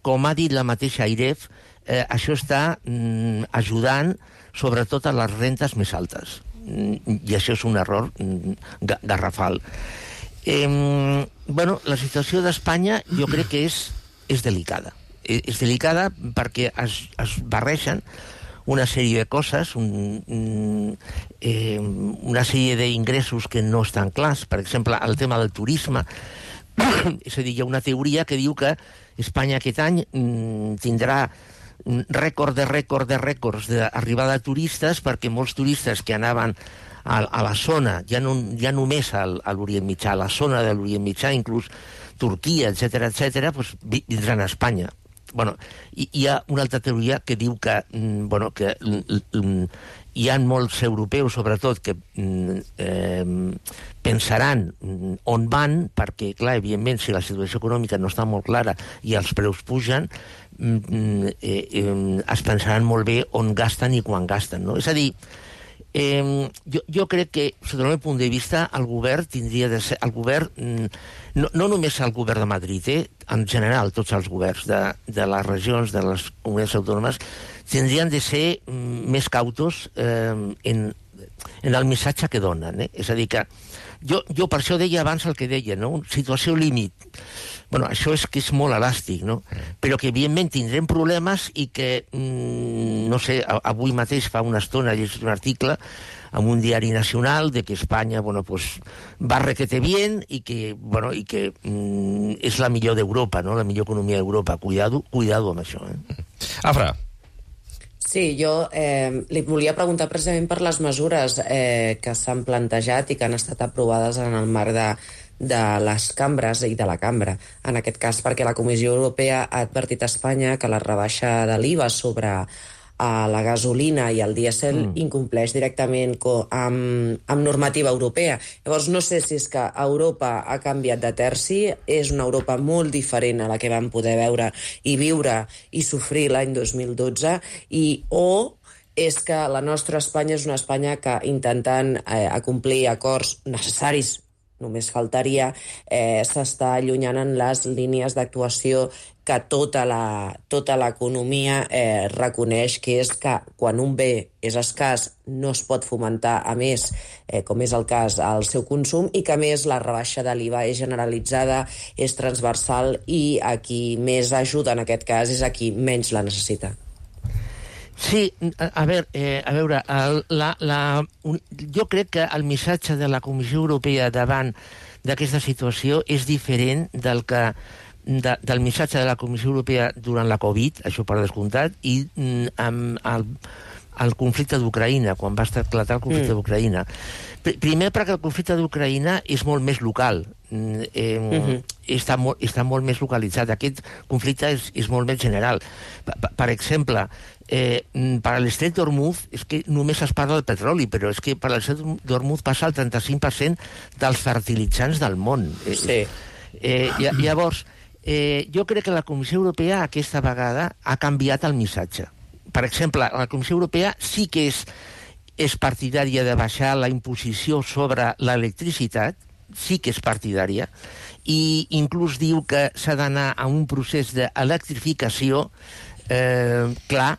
com ha dit la mateixa AIREF, eh, això està mm, ajudant sobretot a les rentes més altes. Mm, I això és un error mm, garrafal. Eh, bueno, la situació d'Espanya jo crec que és, és delicada. És, és delicada perquè es, es barregen una sèrie de coses, un, un, eh, una sèrie d'ingressos que no estan clars. Per exemple, el tema del turisme. És a dir, hi ha una teoria que diu que Espanya aquest any mm, tindrà rècord de rècord de rècords d'arribada de turistes, perquè molts turistes que anaven a, a la zona, ja, no, ja només al, a l'Orient Mitjà, a la zona de l'Orient Mitjà, inclús Turquia, etcètera, etcètera, pues, vindran a Espanya. bueno, hi, hi ha una altra teoria que diu que, mm, bueno, que mm, hi ha molts europeus, sobretot, que mm, eh, pensaran mm, on van, perquè, clar, evidentment, si la situació econòmica no està molt clara i els preus pugen, mm, eh, eh, es pensaran molt bé on gasten i quan gasten, no? És a dir, Eh, jo, jo crec que, sota el meu punt de vista, el govern tindria de ser... El govern, no, no només el govern de Madrid, eh, en general, tots els governs de, de les regions, de les comunitats autònomes, tindrien de ser mm, més cautos eh, en, en el missatge que donen. Eh? És a dir, que jo, jo per això deia abans el que deia, no? Situació límit. Bueno, això és que és molt elàstic, no? Però que, evidentment, tindrem problemes i que, mmm, no sé, avui mateix fa una estona he llegit un article en un diari nacional de que Espanya, bueno, pues, va requete bien i que, bueno, i que mmm, és la millor d'Europa, no? La millor economia d'Europa. Cuidado, cuidado amb això, eh? Afra. Sí, jo eh, li volia preguntar precisament per les mesures eh, que s'han plantejat i que han estat aprovades en el marc de, de les cambres i de la cambra. En aquest cas, perquè la Comissió Europea ha advertit a Espanya que la rebaixa de l'I V A sobre a la gasolina i el dièsel mm. incompleix directament amb, amb normativa europea. Llavors, no sé si és que Europa ha canviat de terci, és una Europa molt diferent a la que vam poder veure i viure i sofrir l'any dos mil dotze, i o és que la nostra Espanya és una Espanya que, intentant eh, acomplir acords necessaris, només faltaria, eh, s'està allunyant en les línies d'actuació que tota la, tota l'economia eh, reconeix, que és que quan un bé és escàs no es pot fomentar, a més, eh, com és el cas, el seu consum, i que, a més, la rebaixa de l'I V A és generalitzada, és transversal, i a qui més ajuda en aquest cas és a qui menys la necessita. Sí, a, a veure, eh, a veure el, la, la, un, jo crec que el missatge de la Comissió Europea davant d'aquesta situació és diferent del que de, del missatge de la Comissió Europea durant la Covid, això per descomptat, i mm, amb el, el conflicte d'Ucraïna, quan va esclatar el conflicte mm. d'Ucraïna. Pr primer perquè el conflicte d'Ucraïna és molt més local, eh, mm-hmm. està, molt, està molt més localitzat. Aquest conflicte és, és molt més general. Per, per exemple, eh, per l'estret d'Hormuz és que només es parla del petroli, però és que per l'estret d'Hormuz passa el trenta-cinc per cent dels fertilitzants del món. Eh, sí. Eh, llavors, eh, jo crec que la Comissió Europea aquesta vegada ha canviat el missatge. Per exemple, la Comissió Europea sí que és, és partidària de baixar la imposició sobre l'electricitat, sí que és partidària, i inclús diu que s'ha d'anar a un procés d'electrificació eh, clar,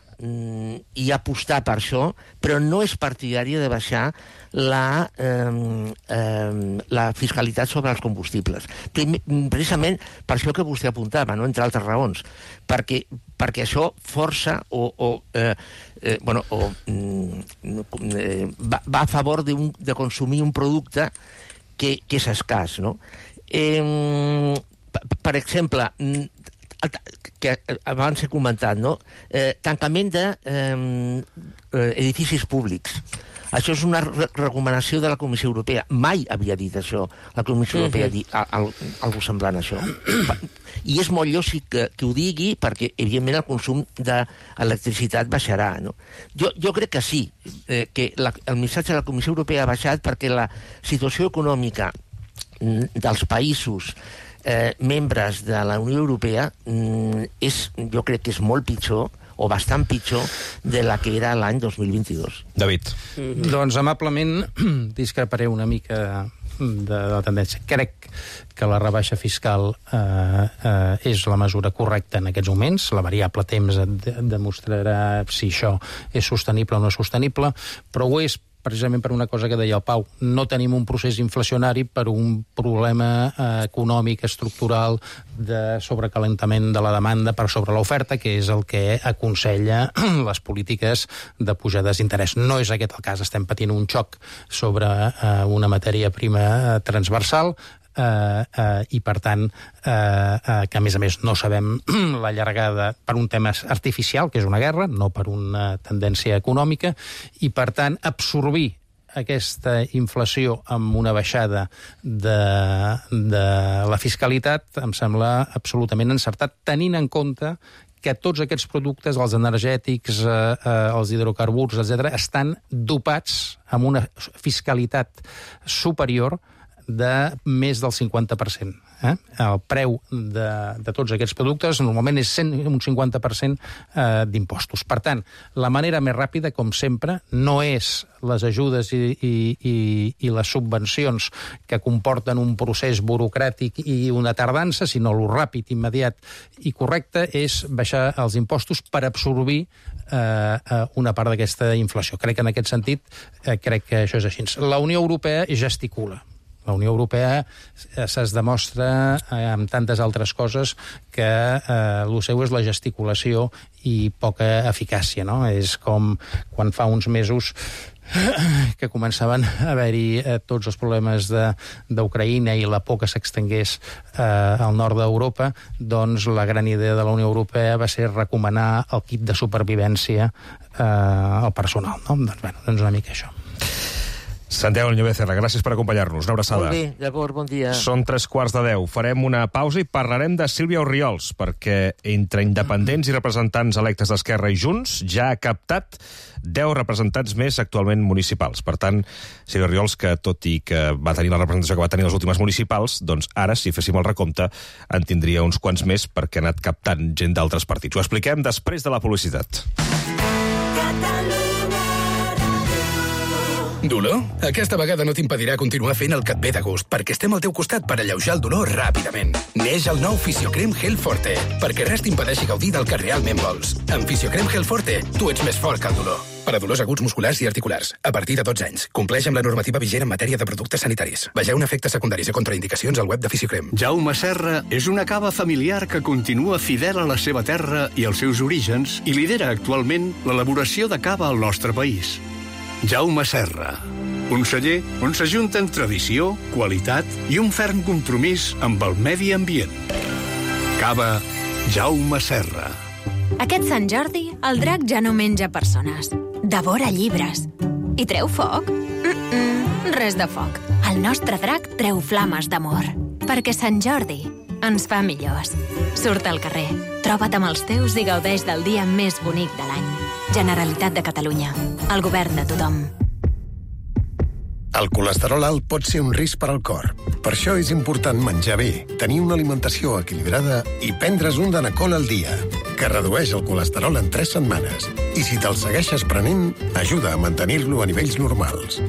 i apostar per això, però no és partidària de baixar la, eh, eh, la fiscalitat sobre els combustibles. Primer, precisament per això que vostè apuntava, no? Entre altres raons, perquè, perquè això força o, o, eh, eh, bueno, o eh, va, va a favor de, un, de consumir un producte que, que és escàs, no? Eh, per, per exemple, que abans he comentat, no? Eh, tancament d'edificis eh, públics. Això és una re recomanació de la Comissió Europea. Mai havia dit això. La Comissió uh-huh. Europea ha dit al, algo semblant a això. I és molt lògic que, que ho digui perquè, evidentment, el consum d'electricitat baixarà, no? Jo, jo crec que sí, eh, que la, el missatge de la Comissió Europea ha baixat perquè la situació econòmica dels països Eh, membres de la Unió Europea mm, és, jo crec que és molt pitjor o bastant pitjor de la que era l'any dos mil vint-i-dos. David. Mm-hmm. Doncs amablement discreparé una mica de, de la tendència. Crec que la rebaixa fiscal eh, eh, és la mesura correcta en aquests moments. La variable temps et demostrarà si això és sostenible o no és sostenible, però ho és precisament per una cosa que deia el Pau. No tenim un procés inflacionari per un problema eh, econòmic, estructural, de sobrecalentament de la demanda per sobre l'oferta, que és el que aconsella les polítiques de pujades d'interès. No és aquest el cas. Estem patint un xoc sobre eh, una matèria prima transversal, Uh, uh, i per tant uh, uh, que a més a més no sabem la llargada per un tema artificial, que és una guerra, no per una tendència econòmica, i per tant absorbir aquesta inflació amb una baixada de, de la fiscalitat em sembla absolutament encertat, tenint en compte que tots aquests productes, els energètics, eh, eh, els hidrocarburs, etcètera, estan dopats amb una fiscalitat superior de més del cinquanta per cent. Eh? El preu de, de tots aquests productes normalment és cent, un cinquanta per cent eh, d'impostos. Per tant, la manera més ràpida, com sempre, no és les ajudes i, i, i, i les subvencions que comporten un procés burocràtic i una tardança, sinó el ràpid, immediat i correcte és baixar els impostos per absorbir eh, una part d'aquesta inflació. Crec que en aquest sentit, eh, crec que això és així. La Unió Europea gesticula. La Unió Europea es demostra amb tantes altres coses que eh, el seu és la gesticulació i poca eficàcia, no? És com quan fa uns mesos que començaven a haver-hi eh, tots els problemes d'Ucraïna i la por que s'extengués eh, al nord d'Europa, doncs la gran idea de la Unió Europea va ser recomanar el kit de supervivència eh, al personal, no? Doncs, bueno, doncs una mica això. Santiago Niño Becerra, gràcies per acompanyar-nos. Una abraçada. Molt bé, d'acord, bon dia. Són tres quarts de deu. Farem una pausa i parlarem de Sílvia Orriols, perquè entre independents i representants electes d'Esquerra i Junts ja ha captat deu representants més actualment municipals. Per tant, Sílvia Orriols, que tot i que va tenir la representació que va tenir les últimes municipals, doncs ara, si féssim el recompte, en tindria uns quants més perquè ha anat captant gent d'altres partits. Ho expliquem després de la publicitat. Dolor? Aquesta vegada no t'impedirà continuar fent el que et ve de gust, perquè estem al teu costat per alleujar el dolor ràpidament. Neix el nou Fisiocrem Gel Forte, perquè res t'impedeixi gaudir del que realment vols. Amb Fisiocrem Gel Forte, tu ets més fort que el dolor. Per a dolors aguts musculars i articulars, a partir de dotze anys. Compleix amb la normativa vigent en matèria de productes sanitaris. Vegeu efectes secundaris i contraindicacions al web de Fisiocrem. Jaume Serra és una cava familiar que continua fidel a la seva terra i als seus orígens i lidera actualment l'elaboració de cava al nostre país. Jaume Serra, un celler on s'ajunten tradició, qualitat i un ferm compromís amb el medi ambient. Cava Jaume Serra. Aquest Sant Jordi, el drac ja no menja persones. Devora llibres. I treu foc? Mm-mm, res de foc. El nostre drac treu flames d'amor. Perquè Sant Jordi ens fa millors. Surt al carrer, troba't amb els teus i gaudeix del dia més bonic de l'any. Generalitat de Catalunya. El govern de tothom. El colesterol alt pot ser un risc per al cor. Per això és important menjar bé, tenir una alimentació equilibrada i prendre's un Danacol al dia, que redueix el colesterol en tres setmanes. I si te'l segueixes prenent, ajuda a mantenir-lo a nivells normals.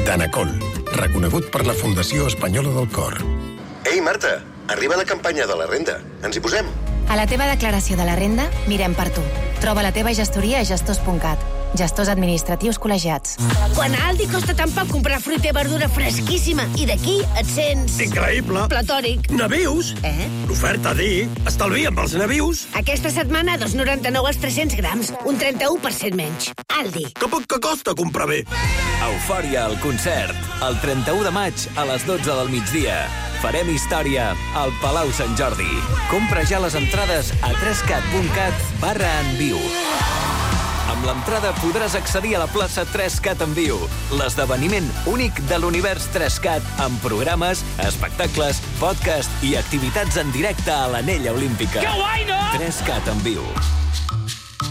Danacol, reconegut per la Fundació Espanyola del Cor. Ei, Marta, arriba la campanya de la renda. Ens hi posem? A la teva declaració de la renda, mirem per tu. Troba la teva gestoria a gestors punt cat. Gestors administratius col·legiats. Quan a Aldi costa tan poc comprar fruita i verdura fresquíssima i d'aquí et sents... Increïble! Platònic. Navius? Eh? L'oferta D. Estalvia amb els navius. Aquesta setmana, dos coma noranta-nou als tres-cents grams. Un trenta-u per cent menys. Aldi. Que poc que costa comprar bé. Eufòria al concert. El trenta-u de maig a les dotze del migdia. Farem història al Palau Sant Jordi. Compra ja les entrades a trescat punt cat barra en viu. Amb l'entrada podràs accedir a la plaça tres cat en viu, l'esdeveniment únic de l'univers tres cat amb programes, espectacles, podcast i activitats en directe a l'Anella Olímpica. Que guai, no? tres cat en viu.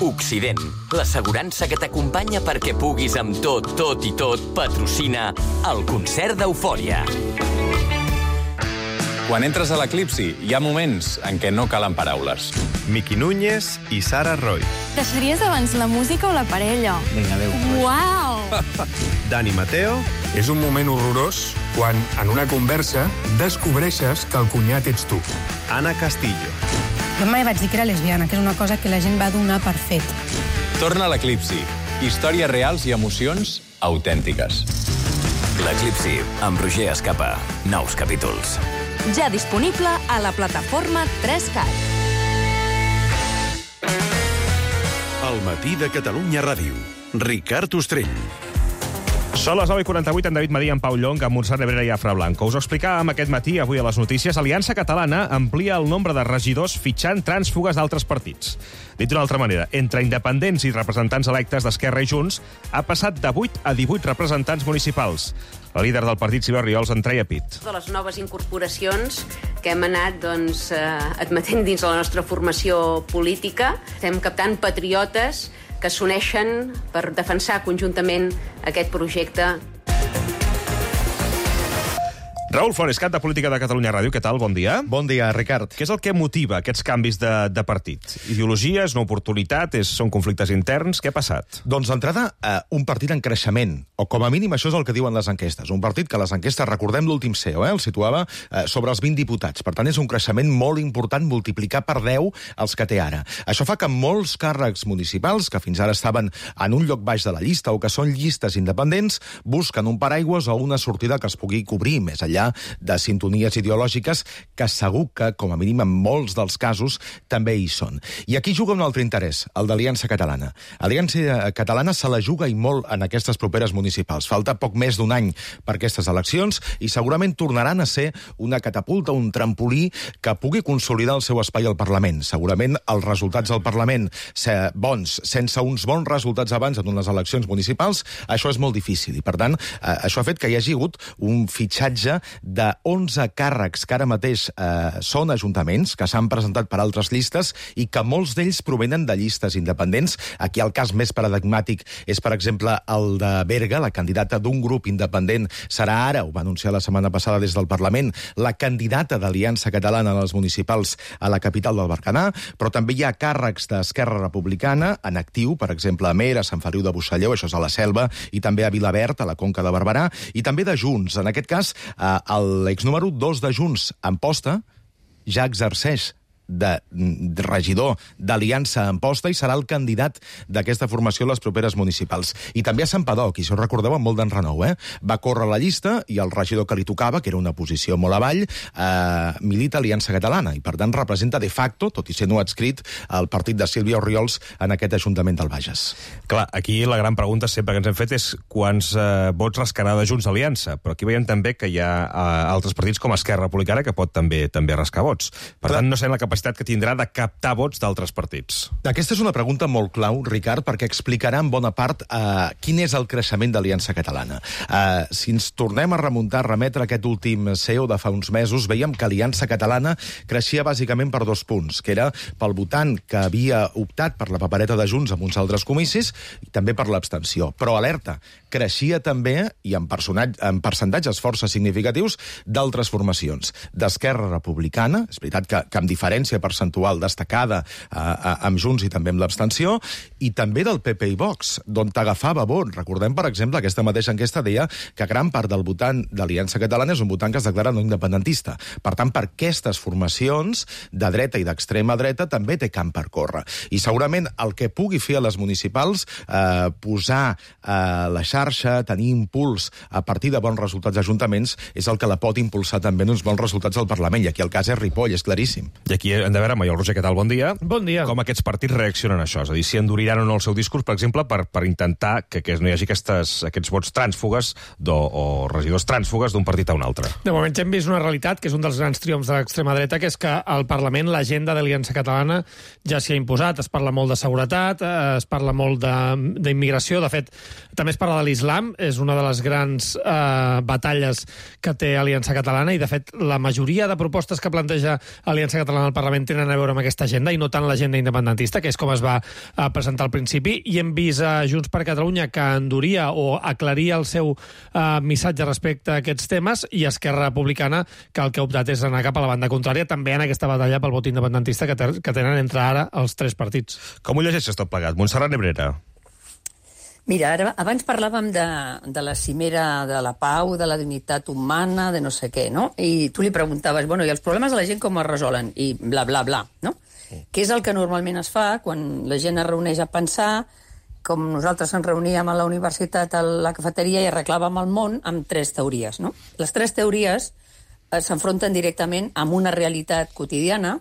Occident, l'assegurança que t'acompanya perquè puguis amb tot, tot i tot patrocina el concert d'Eufòria. Quan entres a l'Eclipsi, hi ha moments en què no calen paraules. Miqui Núñez i Sara Roy. Deixaries abans la música o la parella? Vinga, adéu. Uau! Dani Mateo. És un moment horrorós quan, en una conversa, descobreixes que el cunyat ets tu. Anna Castillo. Jo mai vaig dir que era lesbiana, que és una cosa que la gent va donar per fet. Torna a l'Eclipsi. Històries reals i emocions autèntiques. L'Eclipsi, amb Roger Escapa. Nous capítols. Ja disponible a la plataforma tres cat. El matí de Catalunya Ràdio. Ricard Ostrell. Són les nou i quaranta-vuit, en David Madí, en Pau Llong, amb Montserrat Nebrera i Afra Blanco. Us ho explicàvem aquest matí, avui a les notícies, Aliança Catalana amplia el nombre de regidors fitxant trànsfugues d'altres partits. Dit d'una altra manera, entre independents i representants electes d'Esquerra i Junts, ha passat de vuit a divuit representants municipals. La líder del partit, Sílvia Oriols, en treia pit. De les noves incorporacions que hem anat doncs, eh, admetent dins la nostra formació política, estem captant patriotes que s'uneixen per defensar conjuntament aquest projecte. Raül Flores, cap de Política de Catalunya Ràdio, què tal? Bon dia. Bon dia, Ricard. Què és el que motiva aquests canvis de, de partit? Ideologia, és una oportunitat, és, són conflictes interns? Què ha passat? Doncs d'entrada, eh, un partit en creixement, o com a mínim això és el que diuen les enquestes. Un partit que les enquestes, recordem l'últim C E O, eh, el situava eh, sobre els vint diputats. Per tant, és un creixement molt important, multiplicar per deu els que té ara. Això fa que molts càrrecs municipals, que fins ara estaven en un lloc baix de la llista o que són llistes independents, busquen un paraigües o una sortida que es pugui cobrir més enllà de sintonies ideològiques que segur que, com a mínim en molts dels casos, també hi són. I aquí juga un altre interès, el d'Aliança Catalana. Aliança Catalana se la juga i molt en aquestes properes municipals. Falta poc més d'un any per aquestes eleccions i segurament tornaran a ser una catapulta, un trampolí que pugui consolidar el seu espai al Parlament. Segurament els resultats al Parlament bons, sense uns bons resultats abans en unes eleccions municipals, això és molt difícil. I, per tant, això ha fet que hi hagi hagut un fitxatge de onze càrrecs que ara mateix eh, són ajuntaments, que s'han presentat per altres llistes i que molts d'ells provenen de llistes independents. Aquí el cas més paradigmàtic és, per exemple, el de Berga, la candidata d'un grup independent serà ara, ho va anunciar la setmana passada des del Parlament, la candidata d'Aliança Catalana a les municipals a la capital del Berguedà, però també hi ha càrrecs d'Esquerra Republicana en actiu, per exemple, a Mer, a Sant Feliu de Buixalleu, això és a la Selva, i també a Vilaverd, a la Conca de Barberà, i també de Junts. En aquest cas, eh, l'exnúmero dos de Junts, Amposta, ja exerceix de, de regidor d'Aliança Amposta i serà el candidat d'aquesta formació a les properes municipals. I també a Santpedor, qui, si us recordeu, amb molt d'enrenou, eh? Va córrer la llista i el regidor que li tocava, que era una posició molt avall, eh, milita Aliança Catalana i, per tant, representa de facto, tot i ser no adscrit, el partit de Sílvia Oriols en aquest Ajuntament del Bages. Clar, aquí la gran pregunta sempre que ens hem fet és quants eh, vots rascarà de Junts Aliança, però aquí veiem també que hi ha eh, altres partits com Esquerra Republicana que pot també també rascar vots. Per Clar. tant, no sé la capacitat que tindrà de captar vots d'altres partits. Aquesta és una pregunta molt clau, Ricard, perquè explicarà en bona part eh, quin és el creixement d'Aliança Catalana. Eh, si ens tornem a remuntar, a remetre aquest últim C E O de fa uns mesos, veiem que Aliança Catalana creixia bàsicament per dos punts, que era pel votant que havia optat per la papereta de Junts en uns altres comicis i també per l'abstenció. Però alerta, creixia també, i en, en percentatges força significatius, d'altres formacions. D'Esquerra Republicana, és veritat que, que amb diferència percentual destacada eh, amb Junts i també amb l'abstenció, i també del P P i Vox, d'on t'agafava vot. Recordem, per exemple, aquesta mateixa enquesta deia que gran part del votant d'Aliança Catalana és un votant que es declara no independentista. Per tant, per aquestes formacions de dreta i d'extrema dreta també té camp per córrer. I segurament el que pugui fer a les municipals, eh, posar eh, la xarxa, tenir impuls a partir de bons resultats d'ajuntaments, és el que la pot impulsar també en uns bons resultats al Parlament. I aquí el cas és Ripoll, és claríssim. I aquí hem de veure, Maiol Roger, què tal? Bon dia. Bon dia. Com aquests partits reaccionen a això? És a dir, si enduriran o no el seu discurs, per exemple, per, per intentar que, que no hi hagi aquestes, aquests vots trànsfugues do, o regidors trànsfugues d'un partit a un altre. De moment ja hem vist una realitat, que és un dels grans triomfs de l'extrema dreta, que és que al Parlament l'agenda d'Aliança Catalana ja s'hi ha imposat. Es parla molt de seguretat, es parla molt d'immigració, de, de fet, també es parla de l'islam, és una de les grans eh, batalles que té Aliança Catalana, i de fet la majoria de propostes que planteja Aliança Catalana al Parlament tenen a veure amb aquesta agenda i no tant l'agenda independentista, que és com es va uh, presentar al principi, i hem vist a Junts per Catalunya que enduria o aclaria el seu uh, missatge respecte a aquests temes, i Esquerra Republicana que el que ha optat és anar cap a la banda contrària també en aquesta batalla pel vot independentista que, que tenen entre ara els tres partits. Com ho llegeixes tot plegat? Montserrat Nebrera. Mira, ara, abans parlàvem de, de la cimera de la pau, de la dignitat humana, de no sé què, no? I tu li preguntaves, bueno, i els problemes de la gent com es resolen? I bla, bla, bla, no? Sí. Què és el que normalment es fa quan la gent es reuneix a pensar, com nosaltres ens reuníem a la universitat a la cafeteria i arreglàvem el món amb tres teories, no? Les tres teories eh, s'enfronten directament amb una realitat quotidiana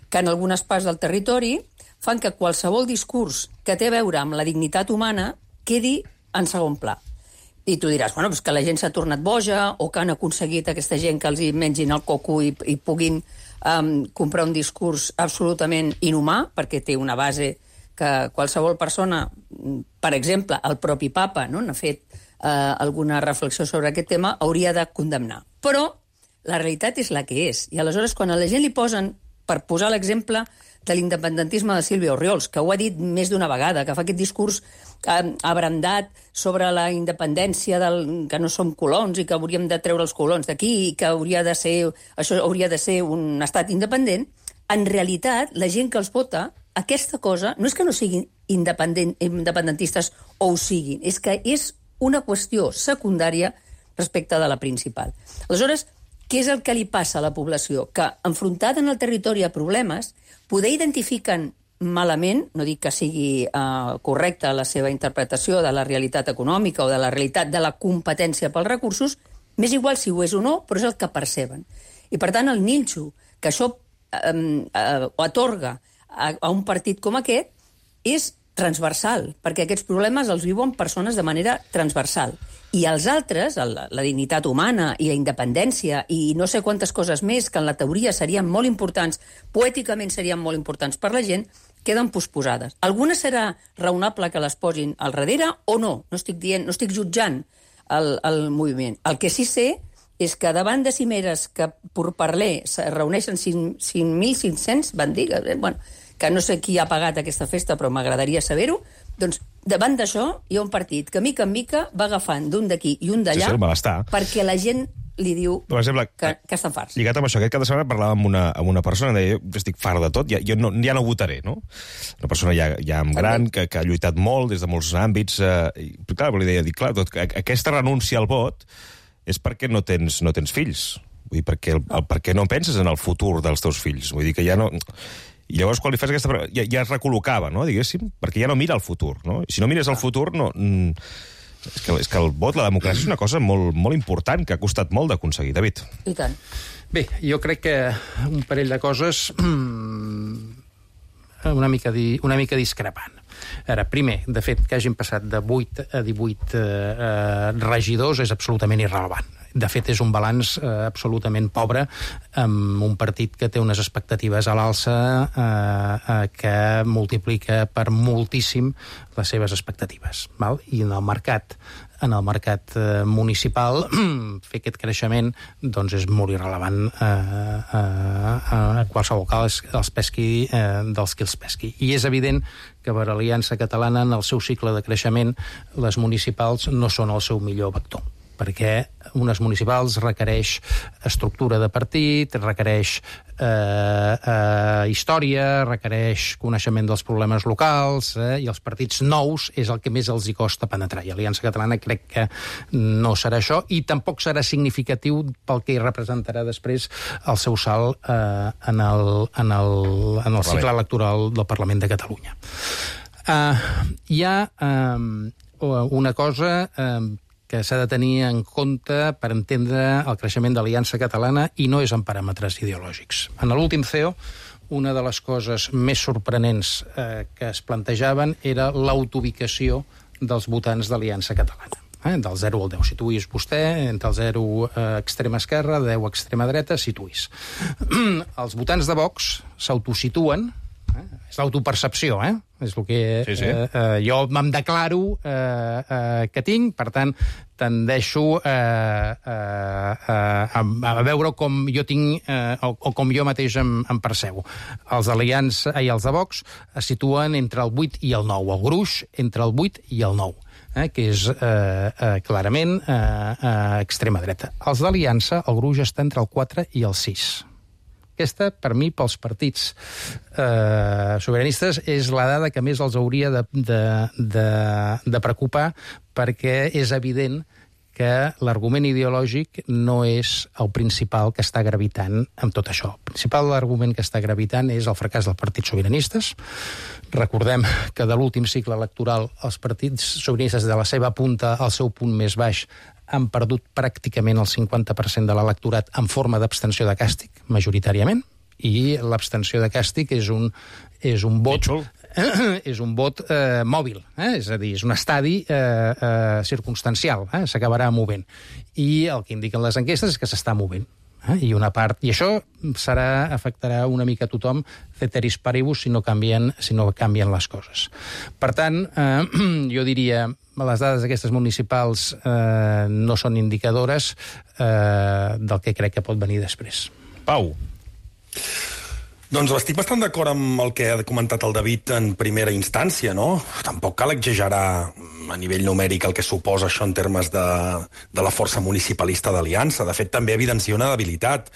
que en algunes parts del territori fan que qualsevol discurs que té a veure amb la dignitat humana quedi en segon pla. I tu diràs, bueno, pues que la gent s'ha tornat boja o que han aconseguit aquesta gent que els hi mengin el coco i, i puguin um, comprar un discurs absolutament inhumà, perquè té una base que qualsevol persona, per exemple, el propi papa, no? n'ha fet eh, alguna reflexió sobre aquest tema, hauria de condemnar. Però la realitat és la que és. I aleshores, quan a la gent li posen, per posar l'exemple de l'independentisme de Sílvia Orriols, que ho ha dit més d'una vegada, que fa aquest discurs eh, abrandat sobre la independència, del, que no som colons i que hauríem de treure els colons d'aquí i que hauria de ser, això hauria de ser un estat independent, en realitat, la gent que els vota, aquesta cosa, no és que no siguin independent, independentistes o ho siguin, és que és una qüestió secundària respecte de la principal. Aleshores, què és el que li passa a la població? Que, enfrontada en el territori a problemes, poder identifiquen malament, no dic que sigui uh, correcta la seva interpretació de la realitat econòmica o de la realitat de la competència pels recursos, m'és igual si ho és o no, però és el que perceben. I, per tant, el nínxol que això um, uh, atorga a, a un partit com aquest és transversal, perquè aquests problemes els viuen persones de manera transversal. I els altres, la, la dignitat humana i la independència i no sé quantes coses més que en la teoria serien molt importants, poèticament serien molt importants per la gent, queden posposades. Algunes serà raonable que les posin al darrere o no? No estic dient, no estic jutjant el, el moviment. El que sí sé és que davant de cimeres que per parler es reuneixen cinc mil cinc-cents, van dir, eh, bueno, que no sé qui ha pagat aquesta festa, però m'agradaria saber-ho, doncs davant d'això hi ha un partit que mica en mica va agafant d'un d'aquí i un d'allà sí, sí, perquè la gent li diu per exemple, que, que estan farts. Lligat amb això, aquest cap de setmana parlava amb una, amb una persona que deia, jo estic fart de tot, ja, jo no, ja no votaré, no? Una persona ja, ja gran, que, que ha lluitat molt des de molts àmbits, eh, i clar, li deia, dic, clar, tot, aquesta renúncia al vot és perquè no tens, no tens fills. Vull dir, perquè, el, el, perquè no penses en el futur dels teus fills. Vull dir que ja no... I llavors, quan li fas aquesta... Ja, ja es recol·locava, no?, diguéssim, perquè ja no mira el futur, no? I si no mires el futur, no... És que, és que el vot, la democràcia, és una cosa molt, molt important, que ha costat molt d'aconseguir. David. I tant. Bé, jo crec que un parell de coses una mica, di, una mica discrepant. Ara, primer, de fet, que hagin passat de vuit a divuit eh, regidors és absolutament irrellevant. De fet, és un balanç eh, absolutament pobre amb un partit que té unes expectatives a l'alça eh, eh, que multiplica per moltíssim les seves expectatives. Val? I en el mercat en el mercat eh, municipal fer aquest creixement doncs és molt irrellevant eh, eh, a qualsevol cas els pesqui eh, dels qui els pesqui. I és evident que per l'Aliança Catalana en el seu cicle de creixement les municipals no són el seu millor vector, perquè unes municipals requereix estructura de partit, requereix eh, eh, història, requereix coneixement dels problemes locals, eh, i els partits nous és el que més els hi costa penetrar. I Aliança Catalana crec que no serà això, i tampoc serà significatiu pel que hi representarà després el seu salt eh, en el, en el, en el cicle electoral del Parlament de Catalunya. Eh, hi ha eh, una cosa... Eh, que s'ha de tenir en compte per entendre el creixement de l'Aliança Catalana i no és en paràmetres ideològics. En l'últim C E O, una de les coses més sorprenents eh, que es plantejaven era l'autoubicació dels votants d'Aliança Catalana. Eh, del zero al deu. Situïs vostè entre el zero eh, extrema esquerra, deu extrema dreta, situïs. Els votants de Vox s'autosituen, eh, és l'autopercepció, eh? És el que sí, sí. Eh, eh, jo me'n declaro eh, eh, que tinc, per tant, tendeixo eh, eh, a, a veure com jo tinc eh, o, o com jo mateix em, em percebo. Els Aliança i els de Vox es situen entre el vuit i el nou, el gruix entre el vuit i el nou. Eh, que és eh, eh, clarament eh, eh, extrema dreta. Els d'Aliança, el gruix està entre el quatre i el sis. Aquesta, per mi, pels partits eh, sobiranistes, és la dada que més els hauria de, de, de, de preocupar, perquè és evident que l'argument ideològic no és el principal que està gravitant amb tot això. El principal argument que està gravitant és el fracàs dels partits sobiranistes. Recordem que de l'últim cicle electoral els partits sobiranistes de la seva punta al seu punt més baix han perdut pràcticament el cinquanta per cent de l'electorat en forma d'abstenció de càstig, majoritàriament, i l'abstenció de càstig és un, és un vot... és un vot eh, mòbil, eh? És a dir, és un estadi eh, eh, circumstancial, eh? S'acabarà movent. I el que indiquen les enquestes és que s'està movent. Eh? I una part, i això serà, afectarà una mica a tothom, ceteris paribus, si no canvien, si no canvien les coses. Per tant, eh, jo diria, les dades d'aquestes municipals eh, no són indicadores eh, del que crec que pot venir després. Pau. Doncs estic bastant d'acord amb el que ha comentat el David en primera instància, no? Tampoc cal exagerar a nivell numèric el que suposa això en termes de, de la força municipalista d'Aliança. De fet, també evidencia una debilitat,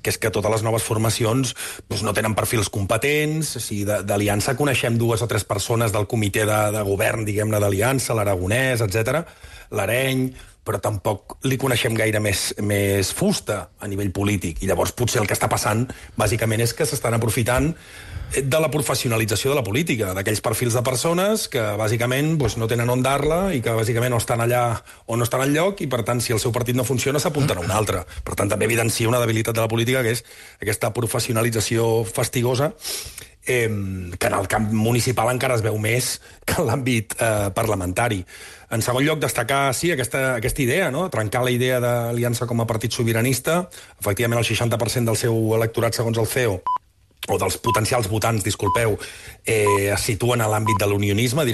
que és que totes les noves formacions doncs, no tenen perfils competents. O sigui, d'Aliança coneixem dues o tres persones del comitè de, de govern, diguem-ne, d'Aliança, l'Aragonès, etcètera, l'Areny, però tampoc li coneixem gaire més, més fusta a nivell polític. I llavors potser el que està passant, bàsicament, és que s'estan aprofitant de la professionalització de la política, d'aquells perfils de persones que, bàsicament, doncs, no tenen on dar-la i que, bàsicament, no estan allà o no estan enlloc i, per tant, si el seu partit no funciona, s'apunten a un altre. Per tant, també evidencia una debilitat de la política, que és aquesta professionalització fastigosa, eh, que en el camp municipal encara es veu més que en l'àmbit eh, parlamentari. En segon lloc, destacar, sí, aquesta, aquesta idea, no? Trencar la idea d'Aliança com a partit sobiranista. Efectivament, el seixanta per cent del seu electorat, segons el C E O, o dels potencials votants, disculpeu, eh, es situen a l'àmbit de l'unionisme,